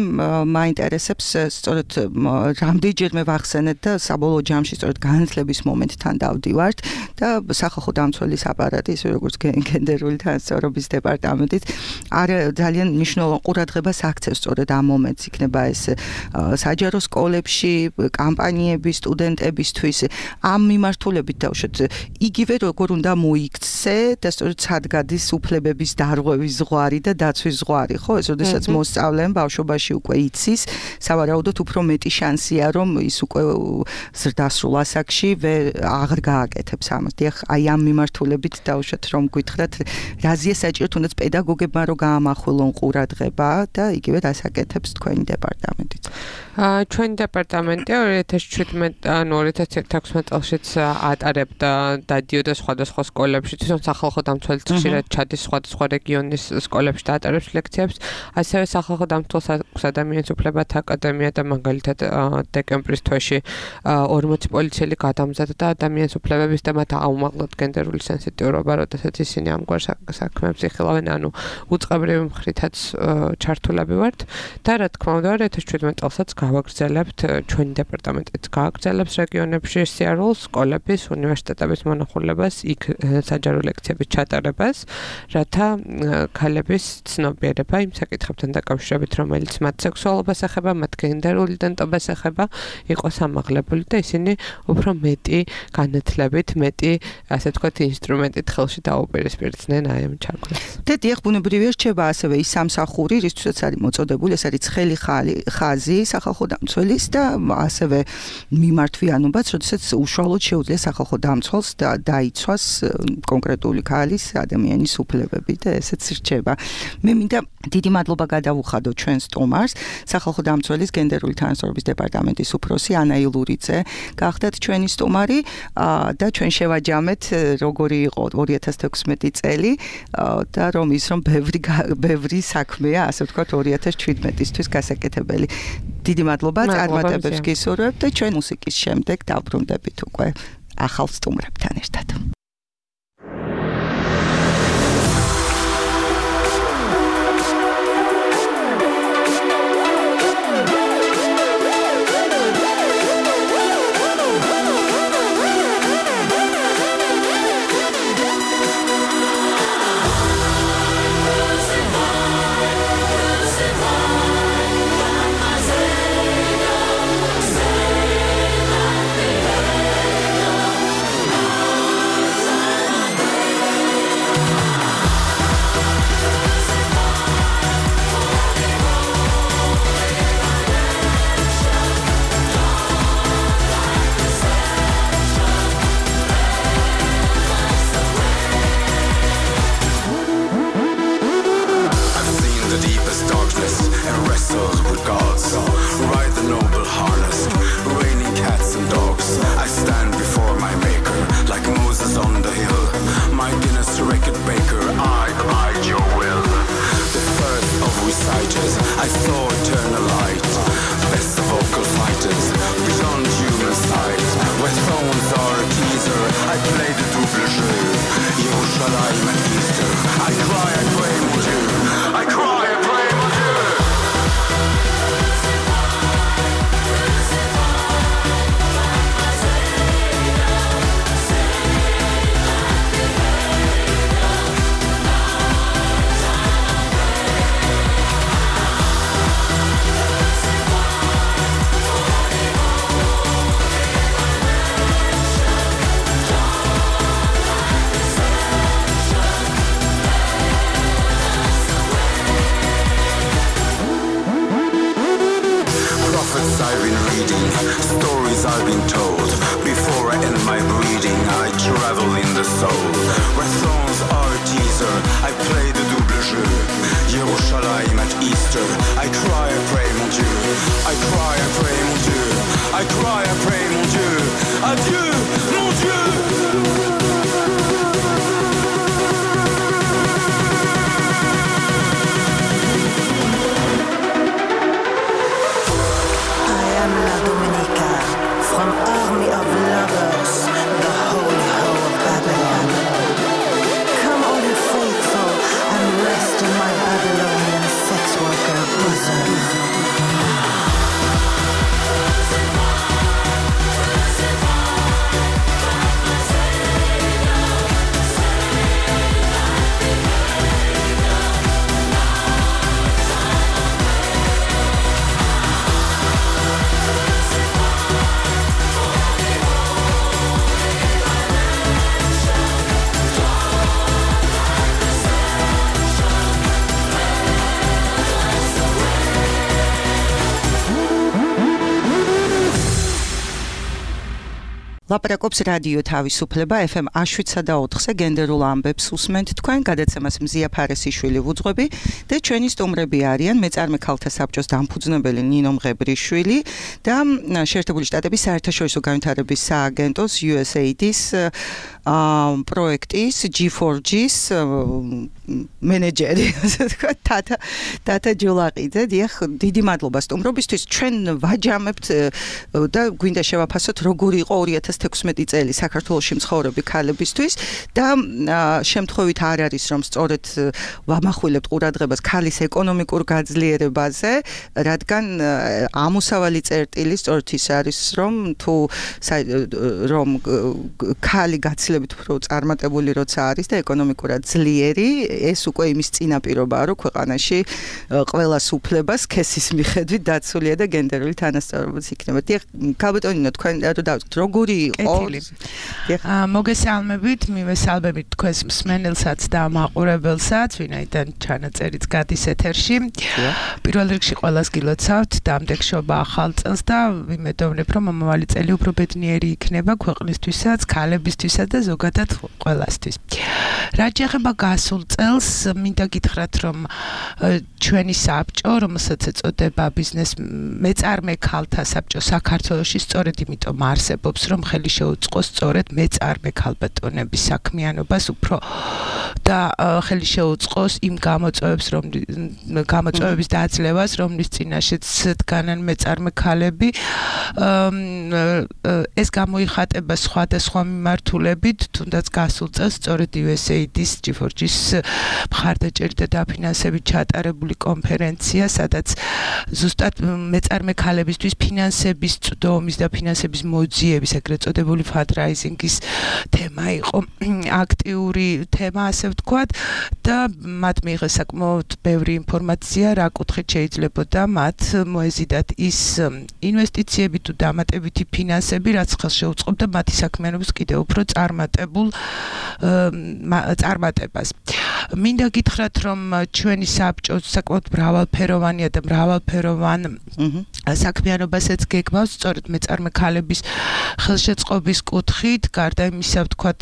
მაინტერესებს სწორედ რამდენჯერმე ვახსენეთ და საბოლოო ჯამში სწორედ განათლების მომენტთან დავდივართ და სახალხო დამცველის აპარატი, ისე როგორც გენდერული თანასწორობის დეპარტამენტიც არ ძალიან მნიშვნელოვან ყურადღებას აქცევს სწორედ ამ მომენტს, იქნება ეს საჯარო სკოლებში, კამპანიები სტუდენტებისთვის, ამ მიმართულებით დავუშვათ იგივე როგორ უნდა მოიქცე და სწორედ სად გადის უფლებების დარღვევის ზღვარი და დაცვის ზღვარი, ხო? ეს როდესაც მოსწავლემ ბავშვობაში უკვე იცის, სავარაუდოდ უფრო მეტი შანსია, რომ ის უკვე ზრდასრულ ასაკში აღარ გააკეთებს ამას. დიახ, აი ამ მიმართულებით დავუშვათ რომ გითხრათ, რაზეა საჭირო თუნდაც პედაგოგებმა რომ გაამახვილონ ყურადღება და იგივე დასაკეთებს თქვენი დეპარტამენტიც. ჩვენი დეპარტამენტი ორი ათას შვიდმეტ ანუ ორი ათას ათექვსმეტ წელშიც ატარებდა დადიოდა სხვადასხვა სკოლებში, თვითონ სახალხო დამცველიც ხშირად ჩადის სხვადასხვა რეგიონის სკოლებში და ატარებს ლექციებს. ასევე სახალხო დამცველს ადამიანის უფლებათა აკადემია და მაგალითად დეკემბრის თვეში ორმოცი პოლიციელი გადამზადდა ადამიანის უფლებების და მათ აუმაღლოთ გენდერული სენსიტიურობა, როდესაც ისინი ამგვარ საქმეებს იხილავენ, ანუ უწყებრივი მხრითაც ჩართულები ვართ და რა თქმა უნდა ორი ათას შვიდმეტ წელსაც გავაგრძელებთ ჩვენი დეპარტამენტიც გააგრძელებს რეგიონებში სიარულს, სკოლების, უნივერსიტეტების მონახულებას, იქ საჯარო ლექციების ჩატარებას, რათა ქალების ცნობიერება იმ საკითხებთან დაკავშირებით, რომელიც მათ სექსუალობას ეხება, მათ გენდერულ იდენტობას ეხება, იყოს ამაღლებული და ისინი უფრო მეტი განათლებით, მეტი, ასე ვთქვათ, ინსტრუმენტით ხელში დაუპირისპირდნენ აი ამ ჩაგვას. და დიახ, ბუნებრივია რჩება ასევე ის სამსახური, რისთვისაც არის მოწოდებული, ეს არის ცხელი ხაზი სახალხო დამცველის და ასევე მიმართვიანობაც, როდესაც უშუალოდ შეუძლია სახალხო დამცველს დაიცვას კონკრეტული ქალის ადამიანის უფლებები და ესეც რჩება. მე მინდა დიდი მადლობა გადავუხადო ჩვენ სტუმარს, სახალხო დამცველის გენდერული თანასწორობის დეპარტამენტის უფროსი ანა ილურიძე. გახდათ ჩვენი სტუმარი და ჩვენ შევაჯამეთ როგორი იყო ორი ათას თექვსმეტი წელი და რომ ის რომ ბევრი ბევრი საქმეა, ასე ვთქვათ ორი ათას შვიდმეტისთვის გასაკეთებელი. დიდი მადლობა, წარმატებებს გისურვებთ და ჩვენ მუსიკის შემდეგ დავბრუნდებით უკვე ახალ სტუმრებთან ერთად. reading stories I've been told. Before I end my breeding, I travel in the soul. Where thrones are a teaser, I play the double jeu. Yerushalayim at Easter, I cry and pray, mon Dieu. I cry and pray, mon Dieu. I cry and pray, mon Dieu. Adieu, mon Dieu. From army of lovers, the holy hoe of Babylon. Come all you faithful and rest in my Babylonian sex worker bosom. ლაპარაკობს რადიო თავისუფლება ეფ ემ შვიდსა და ოთხზე გენდერულ ამბებს უსმენთ თქვენ გადაცემას მზია ფარესიშვილი ვუძღვები და ჩვენი სტუმრები არიან მეწარმე ქალთა საბჭოს დამფუძნებელი ნინო მღებრიშვილი და შეერთებული შტატების საერთაშორისო განვითარების სააგენტოს იუ ეს ეი დი-ის პროექტის ჯი ფორ ჯის მენეჯერი თათა თათა ჯულაყიძე დიახ დიდი მადლობა სტუმრობისთვის ჩვენ ვაჯამებთ და გვინდა შევაფასოთ როგორი იყო ორი ათას თექვსმეტი წელი საქართველოში მცხოვრები ქალებისთვის და შემთხვევით არ არის რომ სწორედ ვამახვილებთ ყურადღებას ქალის ეკონომიკურ გაძლიერებაზე რადგან ამოსავალი წერტილი სწორედ ის არის რომ თუ რომ ქალი გაცილებით უფრო წარმატებული როცა არის და ეკონომიკურად ძლიერი ეს უკვე იმის წინაპირობაა რომ ქვეყანაში ყველას უფლებას სქესის მიხედვით დაცულია და გენდერული თანასწორობაც იქნება. დიახ, ქალბატონინო თქვენ რა დავთ როგორი იყო? მოგესალმებით, მივესალმებით თქვენს მსმენელსაც და მაყურებელსაც, ვინაიდან ჩანაწერიც გადის ეთერში. პირველ რიგში ყველას გილოცავთ დამდეგშობა ახალ წელს და ვიმედოვნებ რომ მომავალი წელი უფრო ბედნიერი იქნება ქვეყნისთვისაც, ქალებისთვისაც და ზოგადად ყველასთვის. რაც შეეხება გასულ წელს, მინდა გითხრათ რომ ჩვენი საბჭო, რომელსაც ეწოდება ბიზნეს მეწარმე ქალთა საბჭო საქართველოში, სწორედ იმიტომ არსებობს, რომ ხელი შეუწყოს სწორედ მეწარმე ქალბატონების საქმიანობას უფრო და ხელი შეუწყოს იმ გამოწვევებს, რომ გამოწვევების დაძლევას, რომლის წინაშეც დგანან მეწარმე ქალები. ეს გამოიხატება სხვადასხვა მიმართულებით, თუნდაც გასულ წელს სწორედ იუ ეს ეი დი-ის ჯი ფორ ჯის მხარდაჭერით და დაფინანსებით ჩატარებული კონფერენცია, სადაც ზუსტად მეწარმე ქალებისთვის ფინანსების წვდომის და ფინანსების მოძიების, ეგრეთ წოდებული fundraising-ის თემა იყო აქტიური თემა, ასე ვთქვათ, და მათ მიიღეს საკმაოდ ბევრი ინფორმაცია, რა კუთხით შეიძლებოდა მათ მოეზიდათ ის ინვესტიციები თუ დამატებითი ფინანსები, რაც ხელს შეუწყობდა მათი საქმიანობის კიდევ უფრო წარმატებულ წარმატებას. მინდა გითხრათ, რომ ჩვენი საბჭო საკმაოდ მრავალფეროვანია და მრავალფეროვან საქმიანობასაც გეგმავს, სწორედ მეწარმე ქალების ხელშეწყობის კუთხით, გარდა იმისა, ვთქვათ,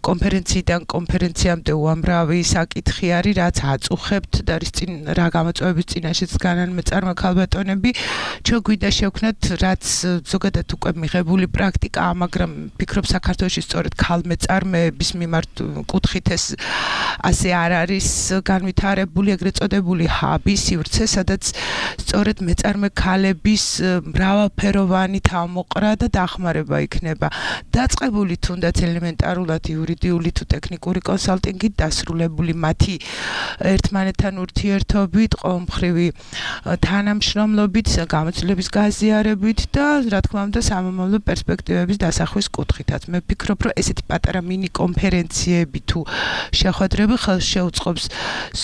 კონფერენციიდან კონფერენციამდე უამრავი საკითხი არის, რაც აწუხებთ და რის წინ რა გამოწვევების წინაშეც დგანან მეწარმე ქალბატონები. ჩვენ გვინდა შევქნათ, რაც ზოგადად უკვე მიღებული პრაქტიკაა, მაგრამ ვფიქრობ საქართველოში სწორედ ქალმეწარმეების მიმართ კუთხით ეს ასე არ არის განვითარებული, ეგრეთ წოდებული ჰაბი, სივრცე, სადაც სწორედ მეწარმე ქალების მრავალფეროვანი თავმოყრა და დახმარება იქნება დაწყებული თუნდაც ელემენტარულად იურიდიული თუ ტექნიკური კონსალტინგით, დასრულებული მათი ერთმანეთთან ურთიერთობით, ყოველმხრივი თანამშრომლობით, გამოცდილების გაზიარებით და რა თქმა უნდა სამომავლო პერსპექტივების დასახვის კუთხითაც. მე ვფიქრობ, რომ ესეთი პატარა მინი კონფერენციები თუ შეხვედრები ხელს შეუწყობს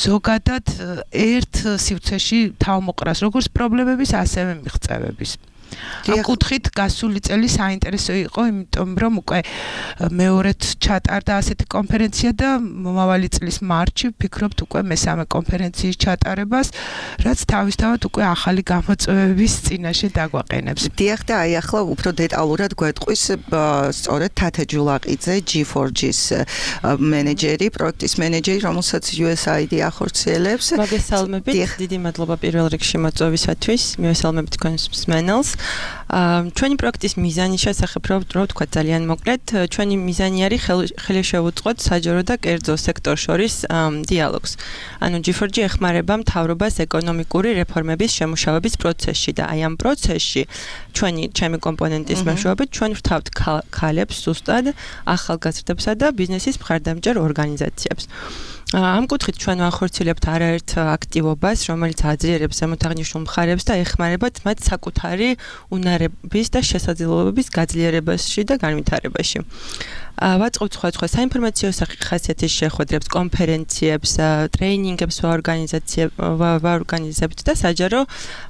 ზოგადად ერთ სივრცეში თავმოყრას, როგორც პრობლემების, ასევე მიღწევების. ამ კუთხით გასული წელი საინტერესო იყო, იმიტომ რომ უკვე მეორედ ჩატარდა ასეთი კონფერენცია და მომავალი წლის მარტში ვფიქრობთ უკვე მესამე კონფერენციის ჩატარებას, რაც თავისთავად უკვე ახალი გამოწვევების წინაშე დაგვაყენებს. დიახ და აი ახლა უფრო დეტალურად გვეტყვის სწორედ თათა ჯულაყიძე ჯი ფორ ჯის მენეჯერი, პროექტის მენეჯერი, რომელსაც იუ ეს აი დი ახორციელებს. მოგესალმებით, დიდი მადლობა პირველ რიგში მოწვევისათვის, მივესალმებით თქვენს მსმენელს. ჩვენი პროექტის მიზანი შესახებ რო ვთქვა ძალიან მოკლედ, ჩვენი მიზანი არის ხელი შევუწყოთ საჯარო და კერძო სექტორ შორის დიალოგს. ანუ ჯი ფორ ჯი ეხმარება მთავრობას ეკონომიკური რეფორმების შემუშავების პროცესში და აი ამ პროცესში ჩვენი ჩემი კომპონენტის მეშვეობით ჩვენ ვთავთ ქალებს ზუსტად ახალგაზრდებსა და ბიზნესის მხარდამჭერ ორგანიზაციებს. ამ კუთხით ჩვენ ვახორციელებთ არაერთ აქტივობას, რომელიც აძლიერებს ზემოთაღნიშნულ მხარებს და ეხმარებათ მათ საკუთარი უნარების და შესაძლებლობების გაძლიერებაში და განვითარებაში. ვაწყობთ სხვადასხვა საინფორმაციო ხასიათის შეხვედრებს, კონფერენციებს, ტრეინინგებს ვაორგანიზებთ და საჯარო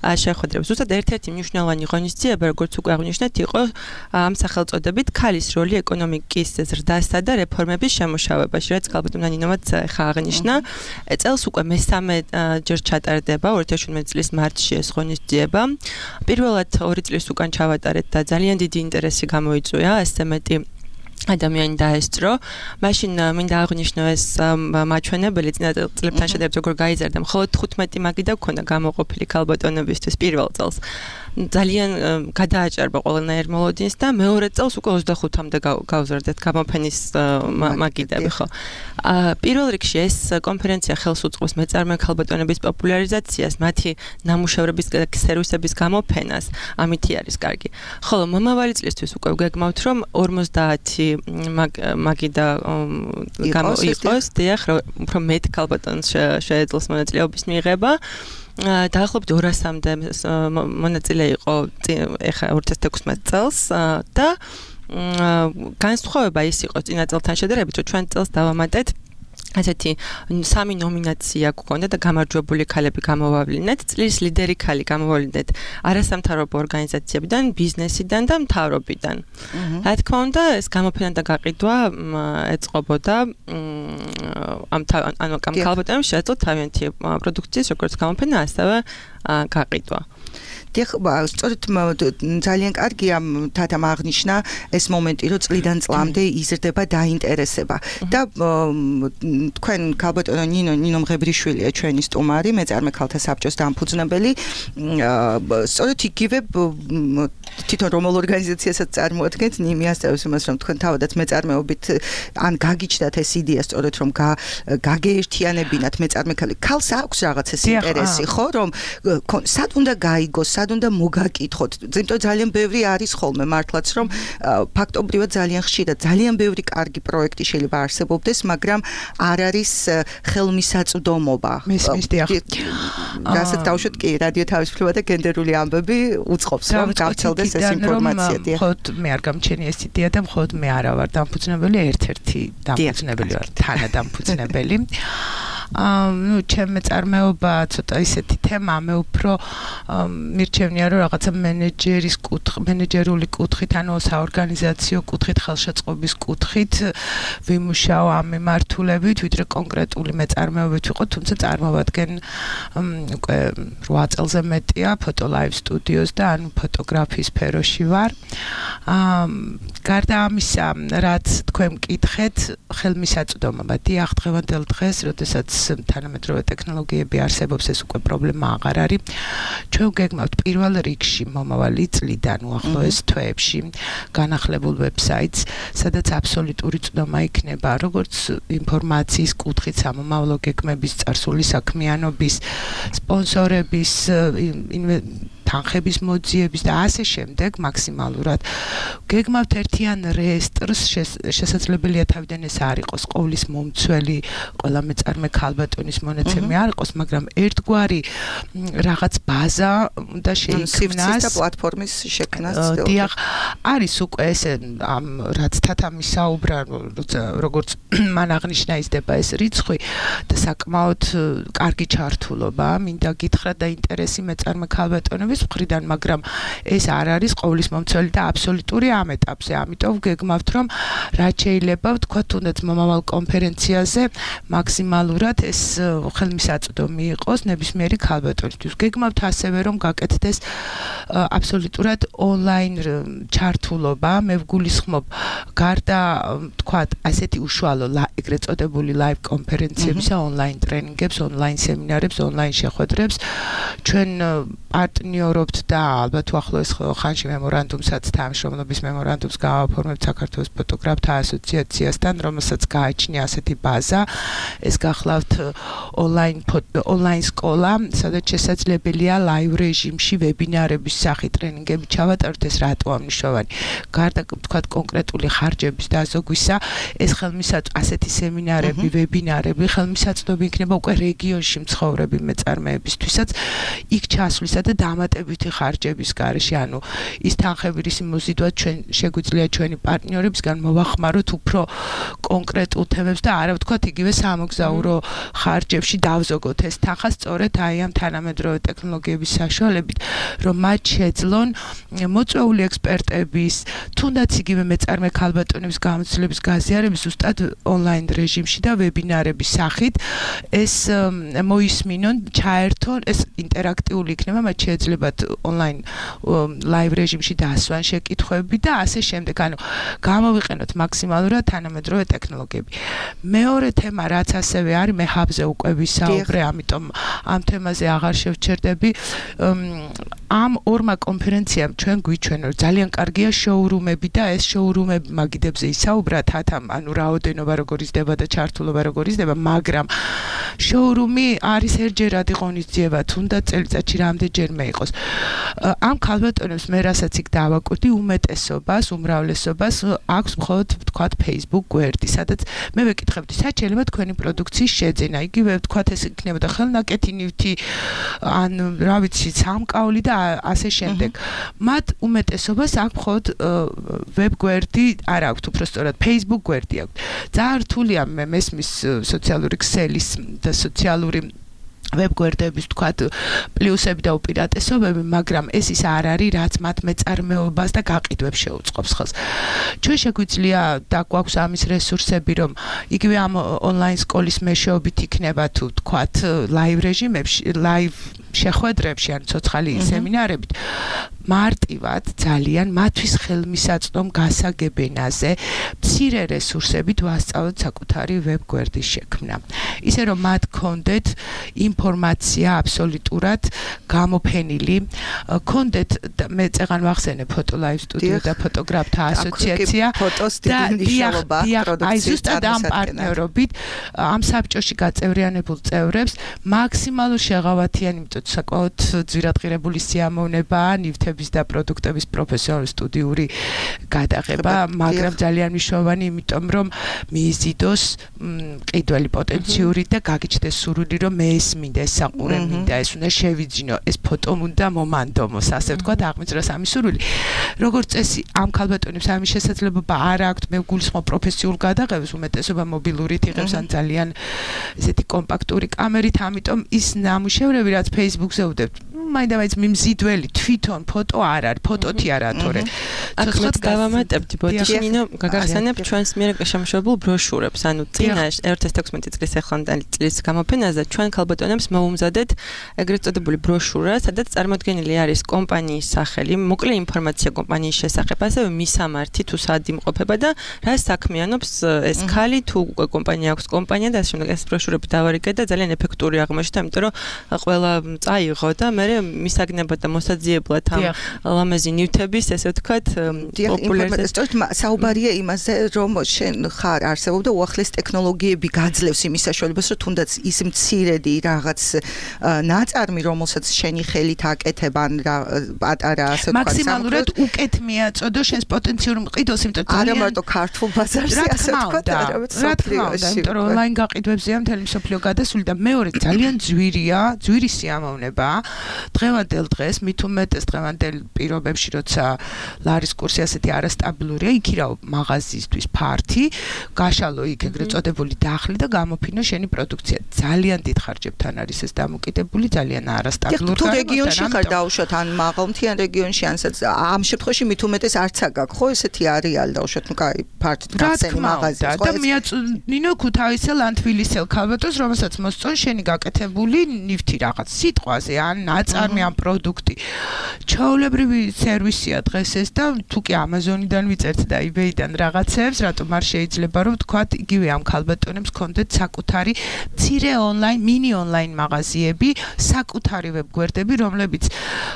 შეხვედრებს. ზუსტად ერთ-ერთი მნიშვნელოვანი ღონისძიება, როგორც უკვე აღვნიშნეთ, იყო ამ სახელწოდებით ქალის როლი ეკონომიკის ზრდასა და რეფორმების შემუშავებაში, რაც ალბათ ნინომაც ხა აღნიშნა. წელს უკვე მესამე ჯერ ჩატარდება ორი ათი შვიდმეტი წლის მარტში ეს ღონისძიება. პირველად ორი წლის უკან ჩავატარეთ და ძალიან დიდი ინტერესი გამოიწვია, ასე მეტი ადამიანი დაესწრო. მაშინ მინდა აღვნიშნო ეს მაჩვენებელი წინა წლებთან შედარებით როგორ გაიზარდა. მხოლოდ თხუთმეტი მაგი და გქონდა გამოყოფილი ქალბატონებისთვის პირველ წელს. ძალიან გადააჭარბა ყველანაირ მოლოდინს და მეორე წელს უკვე ოცდახუთამდე გავზარდეთ გამოფენის მაგიდები, ხო. პირველ რიგში ეს კონფერენცია ხელს უწყობს მეწარმე ქალბატონების პოპულარიზაციას, მათი ნამუშევრების სერვისების გამოფენას, ამითი არის კარგი. ხოლო მომავალი წლისთვის უკვე გეგმავთ, რომ ორმოცდაათი მაგიდა იყოს, დიახ, უფრო მეტ ქალბატონს შეეძლოს მონაწილეობის მიღება. დაახლოებით ორასამდე მონაწილე იყო ეხა ორი ათი ექვსმეტი წელს და განსხვავება ის იყო წინა წელთან შედარებით, რომ ჩვენ წელს დავამატეთ ასეთი სამი ნომინაცია გქონდა და გამარჯვებული ქალები გამოვავლინეთ, წლის ლიდერი ქალი გამოვავლინეთ არასამთავრობო ორგანიზაციებიდან, ბიზნესიდან და მთავრობიდან. რა თქმა უნდა, ეს გამოფენა და გაყიდვა ეწყობოდა ამ ანუ ამ ქალბატონებს შეეძლოთ თავიანთი პროდუქციის როგორც გამოფენა, ასევე გაყიდვა. დიახ, სწორედ ძალიან კარგია თათამ აღნიშნა ეს მომენტი, რომ წლიდან წლამდე იზრდება დაინტერესება და თქვენ ქალბატონო ნინო ნინო მღებრიშვილია ჩვენი სტუმარი, მეწარმე ქალთა საბჭოს დამფუძნებელი. სწორედ იგივე თვითონ რომელ ორგანიზაციასაც წარმოადგენთ, ნიმი ასწავლის იმას, რომ თქვენ თავადაც მეწარმეობით ან გაგიჩნდათ ეს იდეა, სწორედ რომ გაგეერთიანებინათ მეწარმე ქალი. ქალს აქვს რაღაც ეს ინტერესი, ხო, რომ სად უნდა გაიგოს, სად უნდა მოგაკითხოთ. ზემტო ძალიან ბევრი არის ხოლმე მართლაც, რომ ფაქტობრივად ძალიან ხშირად ძალიან ბევრი კარგი პროექტი შეიძლება არსებობდეს, მაგრამ არ არის ხელმისაწვდომობა. მესმის დიახ. რასაც დავუშვათ კი, რადიო თავისუფლება და გენდერული ამბები უწყობს, რომ გავრცელდეს ეს ინფორმაცია. მხოლოდ მე არ გამჩენი ეს იდეა და მხოლოდ მე არა ვარ დამფუძნებელი, ერთ-ერთი დამფუძნებელი ვარ, თანადამფუძნებელი. ну ჩემ მეწარმეობა ცოტა ისეთი თემა მე უფრო მირჩევნია რომ რაღაცა მენეჯერის კუთხ მენეჯერული კუთხით ანუ საორგანიზაციო კუთხით ხელშეწყობის კუთხით ვიმუშაო ამ მიმართულებით ვიდრე კონკრეტული მეწარმეობით ვიყო თუმცა წარმოვადგენ უკვე რვა წელზე მეტია ფოტო ლაივ სტუდიოს და ანუ ფოტოგრაფიის სფეროში ვარ გარდა ამისა რაც თქვენ მკითხეთ ხელმისაწვდომობა დიახ დღევანდელ დღეს როდესაც თანამედროვე ტექნოლოგიები არსებობს ეს უკვე პრობლემა აღარ არის ჩვენ გეგმავთ პირველ რიგში მომავალი წლიდან უახლოეს თვეებში განახლებულ ვებსაიტს სადაც აბსოლუტური წვდომა იქნება როგორც ინფორმაციის კუთხით სამომავლო გეგმების წარსული საქმიანობის სპონსორების თანხების მოძიების და ასე შემდეგ მაქსიმალურად გეგმავთ ერთიან რეესტრს შესაძლებელია თავიდან ეს არ იყოს ყოვლის მომცველი ყველა მეწარმე ქალბატონის მონაცემი არ იყოს მაგრამ ერთგვარი რაღაც ბაზა და შეიქმნას და პლატფორმის შექმნას დიახ არის უკვე ეს ამ რაც თათამი საუბრა როგორც მან აღნიშნა იზრდება ეს რიცხვი და საკმაოდ კარგი ჩართულობა მინდა გითხრა და ინტერესი მეწარმე ქალბატონების მხრიდან, მაგრამ ეს არ არის ყოვლის მომცველი და აბსოლუტური ამ ეტაპზე. ამიტომ გეგმავთ, რომ რაც შეიძლება ვთქვა, თუნდაც მომავალ კონფერენციაზე მაქსიმალურად ეს ხელმისაწვდომი იყოს ნებისმიერი ქალბატონისთვის. გეგმავთ ასევე, რომ გაკეთდეს აბსოლუტურად ონლაინ ჩართულობა. მე ვგულისხმობ გარდა თქვა ასეთი უშუალო ეგრეთ წოდებული live კონფერენციებისა, ონლაინ ტრენინგებს, ონლაინ სემინარებს, ონლაინ შეხვედრებს ჩვენ პარტნიორობთ და ალბათ უახლოეს ხანში მემორანდუმსაც თანამშრომლობის მემორანდუმს გავაფორმებთ საქართველოს ფოტოგრაფთა ასოციაციასთან, რომელსაც გააჩნია ასეთი ბაზა. ეს გახლავთ ონლაინ ონლაინ სკოლა, სადაც შესაძლებელია live რეჟიმში ვებინარების სახით ტრენინგები ჩავატაროთ. ეს რატოა მნიშვნელოვანი? გარდა თქვათ კონკრეტული ხარჯების დაზოგვისა, ეს ხელმისაწვდომი ასეთი სემინარები, ვებინარები ხელმისაწვდომი იქნება უკვე რეგიონში მცხოვრები მეწარმეებისთვისაც იქ ჩასვლისა და დამატებითი ხარჯების გარეშე, ანუ ის თანხები რისი მოზიდვა ჩვენ შეგვიძლია ჩვენი პარტნიორებისგან მოვახმაროთ უფრო კონკრეტულ თემებს და არა ვთქვათ იგივე სამოგზაურო ხარჯებში დავზოგოთ ეს თანხა სწორედ აი ამ თანამედროვე ტექნოლოგიების საშუალებით, რომ მათ შეძლონ მოწვეული ექსპერტების, თუნდაც იგივე მეწარმე ქალბატონების გამოცდილების გაზიარების ზუსტად ონლაინ რეჟიმში და ვებინარების სახით ეს მოისმინონ, ჩაერთონ, ეს ინტერაქტიული იქნება, მათ შეეძლებათ ონლაინ ლაივ რეჟიმში დასვან შეკითხვები და ასე შემდეგ. ანუ გამოვიყენოთ მაქსიმალურად თანამედროვე ტექნოლოგიები. მეორე თემა, რაც ასევე არის, მე ჰაბზე უკვე ვისაუბრე, ამიტომ ამ თემაზე აღარ შევჩერდები. ამ ორმა კონფერენციამ ჩვენ გვიჩვენა, რომ ძალიან კარგია შოურუმები და ეს შოურუმები მაგიდებზე ისაუბრათ, ათამ, ანუ რაოდენობა როგორ იზრდება და ჩართულობა როგორ იზრდება, მაგრამ შოურუმი არის ერთჯერადი ღონისძიება, თუნდაც წელიწადში რამდენჯერმე იყოს. ამ ქალბატონებს მე რასაც იქ დავაკვირდი, უმეტესობას, უმრავლესობას აქვს მხოლოდ ვთქვათ Facebook გვერდი, სადაც მე ვეკითხებდი, სად შეიძლება თქვენი პროდუქციის შეძენა. იგივე ვთქვათ ეს იქნებოდა ხელნაკეთი ნივთი, ან რა ვიცი, სამკაული და ასე შემდეგ. მათ უმეტესობას აქვს მხოლოდ ვებ გვერდი არ აქვთ, უბრალოდ Facebook გვერდი აქვთ. ძალიან რთულია მე მესმის სოციალური ქსელის და სოციალური ვებგვერდების თქვათ პლუსები და უპირატესობები, მაგრამ ეს ის არ არის, რაც მათ მეწარმეობას და გაყიდვებს შეუწყობს ხელს. ჩვენ შეგვიძლია და გვაქვს ამის რესურსები, რომ იგივე ამ ონლაინ სკოლის მეშვეობით იქნება თუ თქვათ ლაივ რეჟიმებში, ლაივ შეხვედრებში, ან ცოცხალი სემინარებით მარტივად ძალიან მათთვის ხელმისაწვდომ გასაგებენაზე მცირე რესურსებით ვასწავლოთ საკუთარი ვებგვერდის შექმნა. ისე რომ მათ კონდეთ ინფორმაცია აბსოლუტურად გამოფენილი, კონდეთ მე წეღან ვახსენე ფოტო ლაივ სტუდიო და ფოტოგრაფთა ასოციაცია და აი ზუსტად ამ პარტნიორობით ამ საბჭოში გაწევრიანებულ წევრებს მაქსიმალურ შეღავათიანი, იმიტომ საკმაოდ ძვირადღირებული სიამოვნებაა ნივთების და პროდუქტების პროფესიონალური სტუდიური გადაღება, მაგრამ ძალიან მნიშვნელოვანი, იმიტომ რომ მიიზიდოს მყიდველი პოტენციური და გაგიჩნდეს სურვილი, რომ მე ეს მინდა, ეს საყურე მინდა, ეს უნდა შევიძინო, ეს ფოტო უნდა მომანდომოს, ასე ვთქვათ, აღმოჩნდა სამი სურვილი. როგორც წესი, ამ ქალბატონებს ამის შესაძლებლობა არ აქვთ, მე ვგულისხმობ პროფესიულ გადაღებას, უმეტესობა მობილურით იღებს ან ძალიან ესეთი კომპაქტური კამერით, ამიტომ ის ნამუშევრები, რაც Facebook-ზე ვდებთ, მაინდა-მაინც მიმზიდველი თვითონ ფოტო არ არის, ფოტოთი არა თორე. აქაც დავამატებდი, ბოდიში ნინო, გაგახსენებ ჩვენს მიერ შემოშობილ ბროშურებს, ანუ წინა ერთ ათას თექვსმეტი წლის ახლანდელი წლის გამოფენაზე ჩვენ ქალბატონებს მოუმზადეთ ეგრეთ წოდებული ბროშურა, სადაც წარმოდგენილი არის კომპანიის სახელი, მოკლე ინფორმაცია კომპანიის შესახებ, ასევე მისამართი თუ სად იმყოფება და რა საქმიანობს ეს ქალი, თუ კომპანია აქვს კომპანია და ასე შემდეგ. ეს ბროშურები დავარიგე და ძალიან ეფექტური აღმოჩნდა, იმიტომ რომ ყველა წაიღო და მე მისაგნებად და მოსაძიებლად ამ ლამაზი ნივთების, ესე ვთქვათ, პოპულარიზაცია. საუბარია იმაზე, რომ შენ ხარ არსებობდა უახლეს ტექნოლოგიები გაძლევს იმის საშუალებას, რომ თუნდაც ის მცირედი რაღაც ნაწარმი, რომელსაც შენი ხელით აკეთებ, ან რა პატარა, ასე ვთქვათ, მაქსიმალურად უკეთ მიაწოდო შენს პოტენციურ მყიდველს, იმიტომ რომ არა მარტო ქართულ ბაზარზე, ასე ვთქვათ, არამედ სოფლიოში, იმიტომ რომ ონლაინ გაყიდვებზეა მთელი მსოფლიო გადასული და მეორე ძალიან ძვირია, ძვირი სიამოვნებაა. დღევანდელ დღეს მით უმეტეს დღევანდელ პირობებში, როცა ლარის კურსი ასეთი არასტაბილურია, იქირავ მაღაზიისთვის ფართი, გაშალო იქ ეგრეთ წოდებული დახლი და გამოფინო შენი პროდუქცია. ძალიან დიდ ხარჯებთან არის ეს დამოკიდებული, ძალიან არასტაბილური. თუ რეგიონში ხარ დაუშვათ ან მაღალმთიან რეგიონში, ანსაც ამ შემთხვევაში მით უმეტეს არც აგაკ, ხო ესეთი არის რეალი დაუშვათ, ну кай ფართით გახსენი მაღაზია, ხო? და მიაწვნინო ქუთაისელ ან თბილისელ ქალბატონს, რომელსაც მოსწონ შენი გაკეთებული ნივთი რაღაც სიტყვაზე ან ნაწარმი ან პროდუქტი. ჩაოლებრივი სერვისია დღეს ეს და თუ კი Amazon-დან ვიწერთ და eBay-დან რაღაცებს, რატომ არ შეიძლება რომ თქვათ იგივე ამ ქალბატონებს კონდეთ საკუთარი მცირე ონლაინ, მინი ონლაინ მაღაზიები, საკუთარი ვებგვერდები, რომლებიც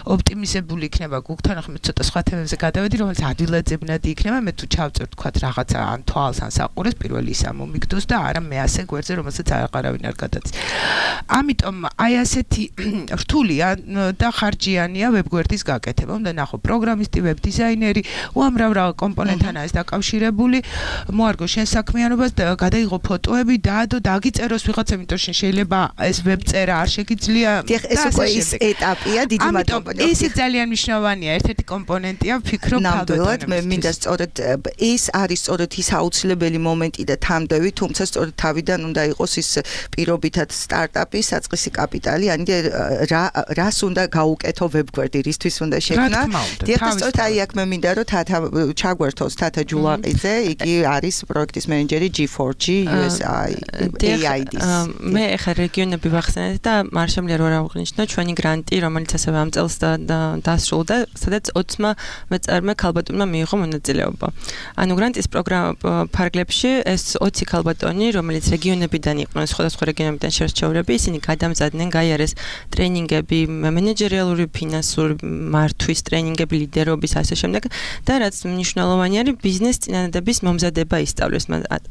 ოპტიმიზებული იქნება გუგთან, ახლა ცოტა სხვა თემებზე გადავედი, რომელიც ადვილაძებნადი იქნება, მე თუ ჩავწერ თქვათ რაღაცა ან თვალს ან საყურეს, პირველი ისა მომიგდოს და არა მე ასე გვერდზე, რომელსაც აღარავინ არ გადაცის. ამიტომ აი ასეთი რთულია და ხარჯიანია ვებგვერდის გაკეთება. უნდა ნახო პროგრამისტი, ვებ დიზაინერი, უამრავ რა კომპონენტთან არის დაკავშირებული. მოარგო შენ საქმიანობას და გადაიღო ფოტოები, დაადო, დაგიწეროს ვიღაცა, იმიტომ რომ შეიძლება ეს ვებწერა არ შეგიძლია. დიახ, ეს უკვე ის ეტაპია, დიდი მადლობა. ეს ძალიან მნიშვნელოვანია, ერთ-ერთი კომპონენტია, ვფიქრობ ნამდვილად, მე მინდა სწორედ ეს არის სწორედ ის აუცილებელი მომენტი და თამდევი, თუმცა სწორედ თავიდან უნდა იყოს ის პირობითად სტარტაპი, საწყისი კაპიტალი, ანუ რა რას უნდა გაუკეთო ვებგვერდი, რისთვის უნდა შექმნა. დიახ, სწორედ აი აქ მე მინდა რომ თათა ჩაგვერთოს თათა ჯულაყიძე, იგი არის პროექტის მენეჯერი G four G U S I A I D-ის. მე ახლა რეგიონები ვახსენეთ და არ შემიძლია რომ აღვნიშნო ჩვენი გრანტი, რომელიც ასევე ამ წელს დასრულდა, სადაც ოცმა მეწარმე ქალბატონმა მიიღო მონაწილეობა. ანუ გრანტის პროგრამა ფარგლებში ეს ოცი ქალბატონი, რომელიც რეგიონებიდან იყვნენ, სხვადასხვა რეგიონებიდან შერჩეულები, ისინი გადამზადდნენ გაიარეს ტრენინგები, მენეჯერიალური, ფინანსური მართვის ტრენინგები, ლიდერობის ასე შემდეგ და რაც მნიშვნელოვანი არის, ბიზნეს წინადადების მომზადება ისწავლეს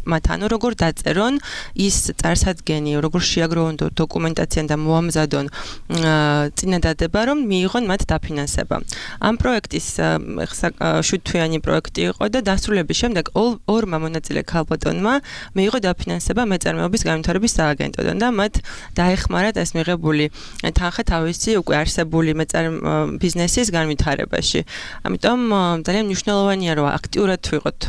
მათ, ანუ როგორ დაწერონ ის წარსადგენი, როგორ შეაგროვონ დოკუმენტაცია და მოამზადონ წინადადება, რომ მიიღონ მათ დაფინანსება. ამ პროექტის შვიდთვიანი პროექტი იყო და დასრულების შემდეგ ორმა მონაწილე ქალბატონმა მიიღო დაფინანსება მეწარმეობის განვითარების სააგენტოდან და მათ დაეხმარათ ეს მიღებული თანხა თავისი უკვე არსებული მეწარმე ბიზნესის განვითარებაში. ამიტომ ძალიან მნიშვნელოვანია რომ აქტიურად ვიყოთ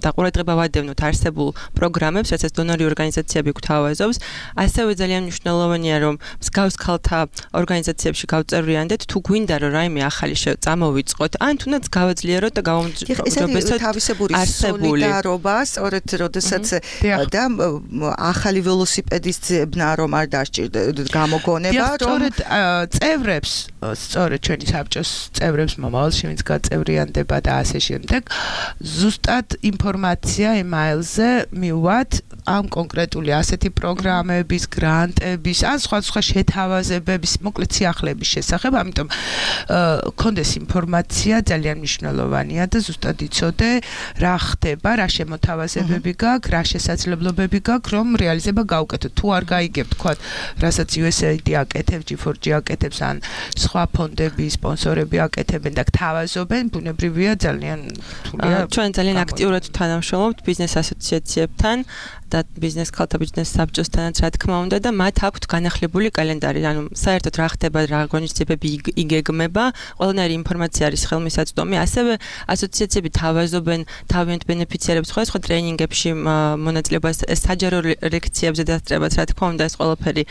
და ყურადღება ვადევნოთ არსებულ პროგრამებს, რასაც დონორი ორგანიზაციები გვთავაზობს. ასევე ძალიან მნიშვნელოვანია რომ მსგავს ქალთა ორგანიზაციებში გავწევრიანდეთ, თუ გვინდა რომ რაიმე ახალი წამოვიწყოთ, ან თუნდაც გავაძლიეროთ და გავამჯობესოთ თავისებური სოლიდარობა, სწორედ როდესაც და ახალი ველოსიპედის ძებნა რომ არ დასჭირდეთ გამოგონება, რომ სწორედ წევრებს, სწორედ ჩვენი საბჭოს წევრებს მომავალში ვინც გაწევრიანდება და ასე შემდეგ, ზუსტად ინფორმაცია email-ზე მივუვათ ამ კონკრეტული ასეთი პროგრამების, გრანტების, ან სხვა სხვა შეთავაზებების, მოკლედ სიახლეების შესახებ, ამიტომ კონდეს ინფორმაცია ძალიან მნიშვნელოვანია და ზუსტად იცოდე რა ხდება, რა შემოთავაზებები გაქვს, რა შესაძლებლობები გაქვს, რომ რეალიზება გაუკეთოთ. თუ არ გაიგებ, თქვა, რასაც U S A I D აკეთებს, G four G აკეთებს, ან სხვა ფონდები, სპონსორები აკეთებენ და გთავაზობენ, ბუნებრივია ძალიან რთულია. ჩვენ ძალიან აქტიურად თანამშრომლობთ ბიზნეს ასოციაციებთან და ბიზნეს ქალთა ბიზნეს საბჭოსთანაც რა თქმა უნდა და მათ აქვთ განახლებული კალენდარი, ანუ საერთოდ რა ხდება, რა ღონისძიებები იგეგმება, ყველანაირი ინფორმაცია არის ხელმისაწვდომი, ასევე ასოციაციები თავაზობენ თავიანთ ბენეფიციარებს სხვადასხვა ტრენინგებში მონაწილეობას, საჯარო ლექციებზე დასწრებას, რა თქმა უნდა ეს ყველაფერი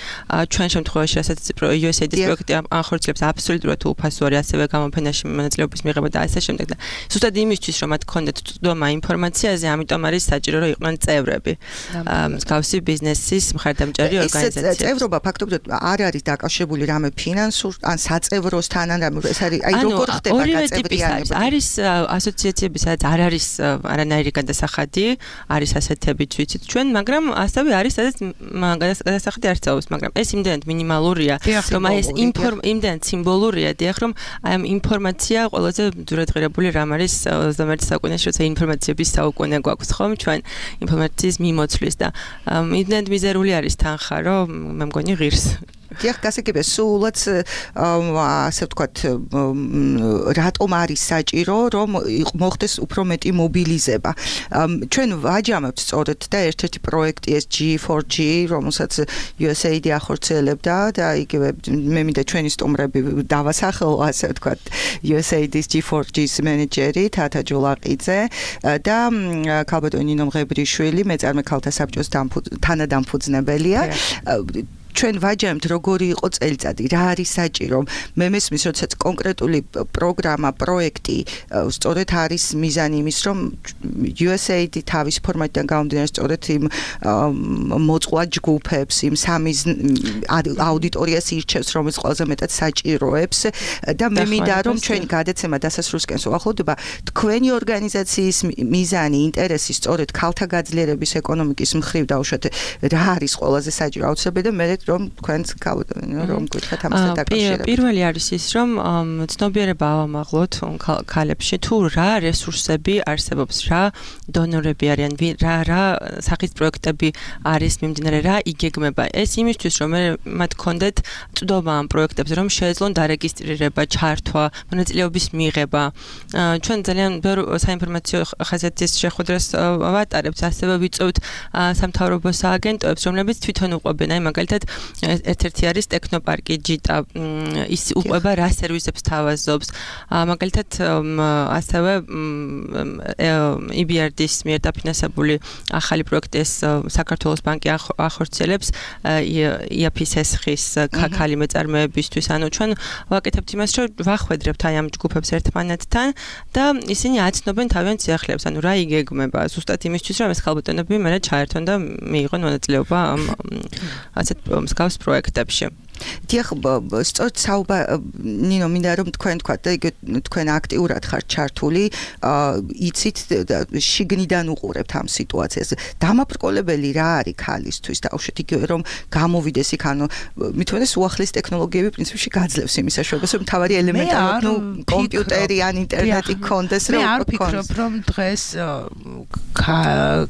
ჩვენ შემთხვევაში, რასაც U S A I D-ის პროექტი ახორციელებს, აბსოლუტურად უფასო არის, ასევე გამოფენაში მონაწილეობის მიღება და ასე შემდეგ და ზუსტად იმისთვის რომ მათ ქონდეთ წვდომა ინფორმაციაზე, ამიტომ არის საჭირო რომ იყვნენ წევრები. მსგავსი ბიზნესის მხარდამჭერი ორგანიზაცია. ეს წევრობა ფაქტობრივად არ არის დაკავშირებული რამე ფინანსურ ან საწევროსთან ან რამე ეს არის აი როგორ ხდება გაწევრიანება. არის ასოციაციები, სადაც არ არის არანაირი გადასახადი, არის ასეთებიც ვიცით ჩვენ, მაგრამ ასევე არის სადაც გადასახადი არ წავალს, მაგრამ ეს იმდენად მინიმალურია, რომ აი ეს იმდენად სიმბოლურია, დიახ, რომ აი ამ ინფორმაცია ყველაზე ძურადღირებული რამ არის ოცდამეერთე საუკუნეში, როცა ინფორმაციების საუკუნე გვაქვს, ხომ ჩვენ ინფორმაციის მიმოც და იმდენად მიზერული არის თანხა, რომ მე მგონი ღირს. დიახ, გასაგებია, სულაც ასე ვთქვათ, რატომ არის საჭირო, რომ მოხდეს უფრო მეტი მობილიზება. ჩვენ ვაჯამებთ სწორედ და ერთ-ერთი პროექტი ეს G four G, რომელსაც U S A I D ახორციელებდა და იგივე მე მინდა ჩვენი სტუმრები დავასახელო, ასე ვთქვათ, U S A I D-ის G four G-ის მენეჯერი თათა ჯულაყიძე და ქალბატონი ნინო მღებრიშვილი, მეწარმე ქალთა საბჭოს თანადამფუძნებელია. ჩვენ ვაჯამთ როგორი იყო წელიწადი, რა არის საჭირო. მე მესმის, როდესაც კონკრეტული პროგრამა, პროექტი სწორედ არის მიზანი იმის, რომ U S A I D თავის ფორმატიდან გამომდინარე სწორედ იმ მოწყვლად ჯგუფებს, იმ სამის აუდიტორიას ირჩევს, რომელიც ყველაზე მეტად საჭიროებს და მე მინდა რომ ჩვენი გადაცემა დასასრულისკენ უახლოვდება, თქვენი ორგანიზაციის მიზანი, ინტერესი სწორედ ქალთა გაძლიერების ეკონომიკის მხრივ დაუშვათ რა არის ყველაზე საჭირო აუცილებელი და მე რომ თქვენს რომ გითხრათ ამასთან დაკავშირებით. პირველი არის ის, რომ ცნობიერება ავამაღლოთ ქალებში, თუ რა რესურსები არსებობს, რა დონორები არიან, რა რა სახის პროექტები არის მიმდინარე, რა იგეგმება. ეს იმისთვის, რომ მათ კონდეთ წვდომა ამ პროექტებზე, რომ შეეძლონ დარეგისტრირება, ჩართვა, მონაწილეობის მიღება. ჩვენ ძალიან ბევრ საინფორმაციო ხასიათის შეხვედრას ვატარებთ, ასევე ვიწევთ სამთავრობო სააგენტოებს, რომლებიც თვითონ უყვებენ, აი მაგალითად ერთ-ერთი არის ტექნოპარკი ჯიტა, ის უყვება რა სერვისებს თავაზობს. მაგალითად ასევე E B R D-ის მიერ დაფინანსებული ახალი პროექტი ეს საქართველოს ბანკი ახორციელებს I A P S-ის ქალი მეწარმეებისთვის. ანუ ჩვენ ვაკეთებთ იმას, რომ ვახვედრებთ აი ამ ჯგუფებს ერთმანეთთან და ისინი აცნობენ თავიანთ სიახლეებს, ანუ რა იგეგმება ზუსტად იმისთვის, რომ ეს ქალბატონები მერე ჩაერთონ და მიიღონ მონაწილეობა ამ ასეთ მსგავს პროექტებში. დიახ, სწორედ საუბარ ნინო მინდა რომ თქვენ თქვათ და იგივე თქვენ აქტიურად ხართ ჩართული, იცით შიგნიდან უყურებთ ამ სიტუაციას. დამაბრკოლებელი რა არის ქალისთვის დაუშვით იგივე რომ გამოვიდეს იქ, ანუ მithumetes უახლის ტექნოლოგიები პრინციპში გაძლევს იმის საშუალებას, რომ თავარი ელემენტარულად ნუ კომპიუტერი ან ინტერნეტი კონდეს რომ მე არ ვფიქრობ რომ დღეს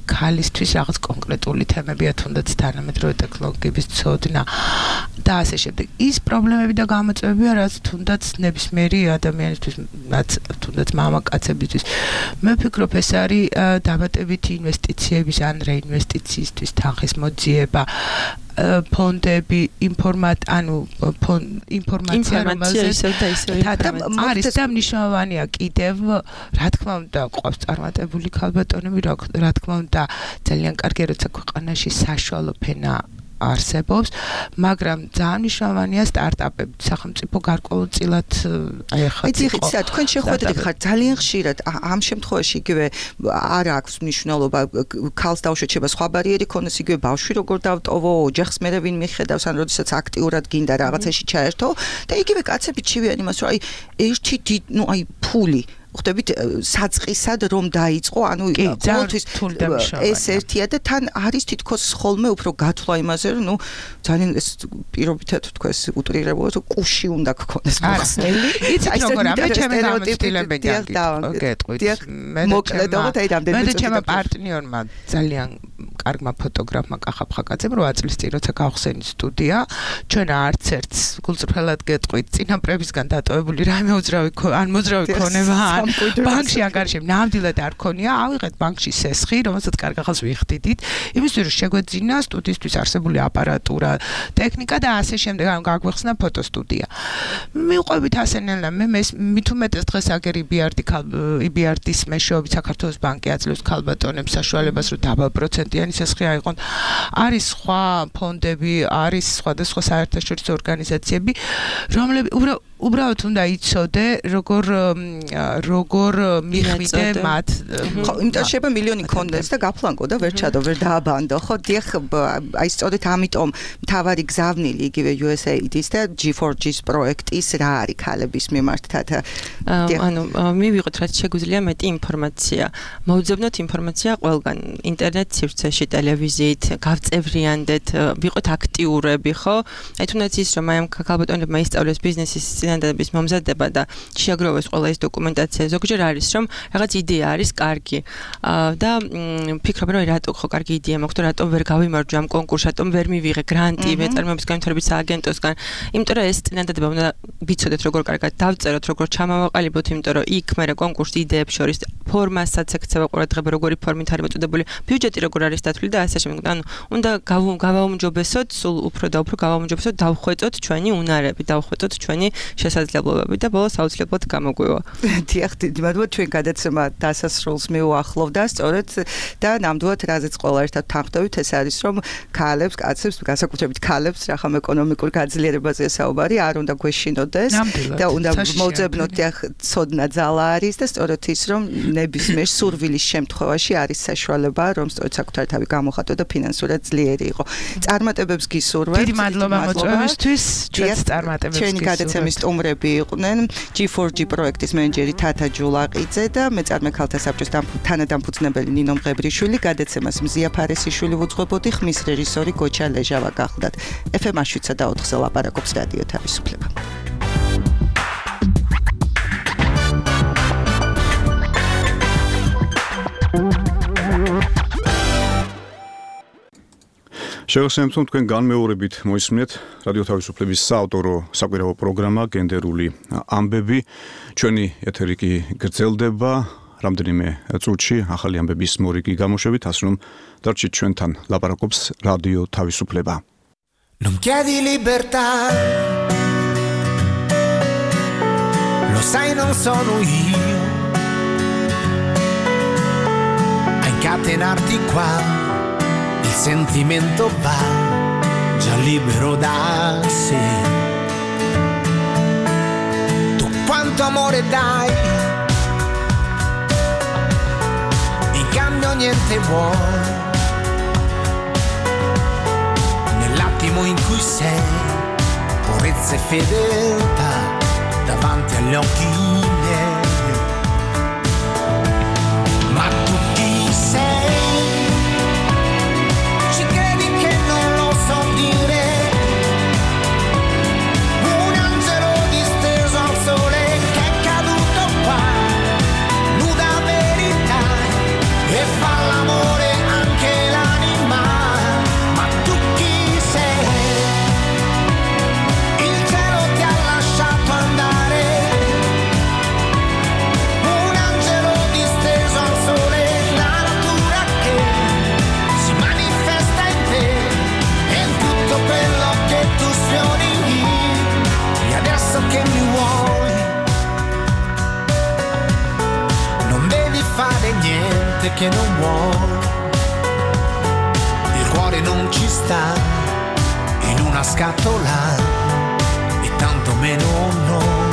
ქალისთვის რაღაც კონკრეტული თემებია თუნდაც თანამედროვე ტექნოლოგიების ცოდნა და ასე შემდეგ. ის პრობლემები და გამოწვევებია, რაც თუნდაც ნებისმიერი ადამიანისთვის, რაც თუნდაც მამაკაცებისთვის. მე ვფიქრობ, ეს არის დამატებითი ინვესტიციების ან რეინვესტიციისთვის თანხის მოძიება, ფონდები, ინფორმატ, ანუ ინფორმაცია, რომელზეც არის და მნიშვნელოვანია კიდევ, რა თქმა უნდა, ყავს წარმატებული ქალბატონები, რა თქმა უნდა, ძალიან კარგია, როცა ქვეყანაში საშუალო ფენა არსებობს, მაგრამ ძალიან მნიშვნელოვანია სტარტაპები, სახელმწიფო გარკვეულწილად აი ახლა იცით, თქვენ შეხვედრით ხართ ძალიან ხშირად ამ შემთხვევაში იგივე არ აქვს მნიშვნელობა ქალს დაუშვათ შეება სხვა ბარიერი ქონდეს იგივე ბავშვი როგორ დავტოვო, ოჯახს მერე ვინ მიხედავს, ან როდესაც აქტიურად გინდა რაღაცაში ჩაერთო და იგივე კაცები ჩივიან იმას, რომ აი ერთი ნუ აი ფული ხვდებით საწყისად რომ დაიწყო, ანუ ყოველთვის ეს ერთია და თან არის თითქოს ხოლმე უფრო გათვლა იმაზე, რომ ნუ ძალიან ეს პირობითად თქვა ეს უტრირებულად კუში უნდა გქონდეს მოხსნელი. იცით როგორ ამე ჩემი გამოცდილებედია გეტყვით. მოკლედობით აი რამდენი მე და ჩემო პარტნიორმა ძალიან კარგმა ფოტოგრაფმა კახა ფხაკაძემ რო აწლის წინ როცა გავხსენით სტუდია, ჩვენ არც ერთს გულწრფელად გეტყვით წინაპრებისგან დატოვებული რაიმე უძრავი ან მოძრავი ქონება ბანკში ანგარიშები ნამდვილად არ ქონია, ავიღეთ ბანკში სესხი, რომელსაც კარგ ახალს ვიხდიდით, იმისთვის რომ შეგვეძინა სტუდიისთვის არსებული აპარატურა, ტექნიკა და ასე შემდეგ, ანუ გაგვეხსნა ფოტოსტუდია. მივყვებით ასენელა, მე მithumetes დღეს აგერ E B R D E B R D-ის მეშვეობით საქართველოს ბანკი აძლევს ქალბატონებს საშუალებას, რომ დაბალ პროცენტიანი სესხი აიღონ. არის სხვა ფონდები, არის სხვადასხვა საერთაშორისო ორგანიზაციები, რომლებიც უბრალოდ უნდა იცოდე, როგორ როგორ მიხვიდე მათ. ხო, იმიტომ შეიძლება მილიონი კონდეს და გაფლანგო და ვერ ჩადო, ვერ დააბანდო. ხო, დიახ, აი სწორედ ამიტომ მთავარი გზავნილი იგივე U S A I D-ის და G four G-ის პროექტის რა არის ქალების მიმართად. ანუ მივიღოთ, რაც შეგვიძლია მეტი ინფორმაცია. მოვძებნოთ ინფორმაცია ყველგან, ინტერნეტ სივრცეში, ტელევიზიით, გავწევრიანდეთ, ვიყოთ აქტიურები, ხო? აი თუნდაც ის რომ აი ამ ქალბატონებმა ისწავლეს ბიზნესის წინადადების მომზადება და შეაგროვეს ყველა ეს დოკუმენტაცია. ზოგჯერ არის რომ რაღაც იდეა არის კარგი და ფიქრობ რომ რატო ხო კარგი იდეა მაქვს და რატომ ვერ გავიმარჯვე ამ კონკურსს, რატომ ვერ მივიღე გრანტი მეწარმეობის განვითარების სააგენტოსგან. იმიტომ რომ ეს წინადადება უნდა ვიცოდეთ როგორ კარგად დავწეროთ, როგორ ჩამავაყალიბოთ, იმიტომ რომ იქ მე კონკურსის იდეებს შორის ფორმასაც ექცევა ყურადღება, როგორი ფორმით არის მოწოდებული, ბიუჯეტი როგორ არის დათვლილი და ასე შემდეგ. ანუ უნდა გავაუმჯობესოთ, სულ უფრო და უფრო გავაუმჯობესოთ, დავხვეწოთ ჩვენი უნარები, დავხვეწოთ ჩვენი შესაძლებლობები და ბოლოს აუცილებლად გამოგვივა. დიახ, დიდი მადლობა, ჩვენ გადაცემა დასასრულს მიუახლოვდა, სწორედ და ნამდვილად რაზეც ყველა ერთად თანხმდებით, ეს არის რომ ქალებს, კაცებს, განსაკუთრებით ქალებს რახან ეკონომიკურ გაძლიერებაზე საუბარი არ უნდა გვეშინოდეს და უნდა მოძებნოთ ცოდნა ძალა არის და სწორედ ის რომ ნებისმიერ სურვილის შემთხვევაში არის საშუალება რომ სწორედ საკუთარი თავი გამოხატო და ფინანსურად ძლიერი იყო. წარმატებებს გისურვებთ. დიდი მადლობა მოწვევისთვის. ჩვენს წარმატებებს გისურვებთ. ჩვენი გადაცემის სტუმრები იყვნენ ჯი ფორ ჯი პროექტის მენეჯერი თათა ჯულაყიძე და მეწარმე ქალთა საბჭოს თანადამფუძნებელი ნინო მღებრიშვილი. გადაცემას მზია ფარესიშვილი უძღვებოდი, ხმის რეჟისორი გოჩა ლეჟავა გახლდათ. ეფ ემ შვიდსა და ოთხზე ლაპარაკობს რადიო თავისუფლება. შევასრულებთ თქვენ განმეორებით მოისმინეთ რადიო თავისუფლების საავტორო საკვირაო პროგრამა გენდერული ამბები. ჩვენი ეთერი კი გრძელდება რამდენიმე წუთში ახალი ამბების მორიგი გამოშვებით, ასე რომ დარჩით ჩვენთან, ლაპარაკობს რადიო თავისუფლება. Non chiedi libertà, lo sai non sono io a incatenarti qua, il sentimento va già libero da sé. Tu quanto amore dai, in cambio niente vuoi. Nell'attimo in cui sei, purezza e fedeltà davanti agli occhi miei. Ma tu chi sei? Ci credi che non lo so dire? Un angelo disteso al sole che è caduto qua, nuda verità e fa l'amore anche l'anima. Ma tu chi sei? Il cielo ti ha lasciato andare, un angelo disteso al sole, la natura che si manifesta in te e in tutto quello che tu sfiori. E adesso che mi vuoi, non devi fare niente che non vuoi. Il cuore non ci sta in una scatola e tanto meno noi.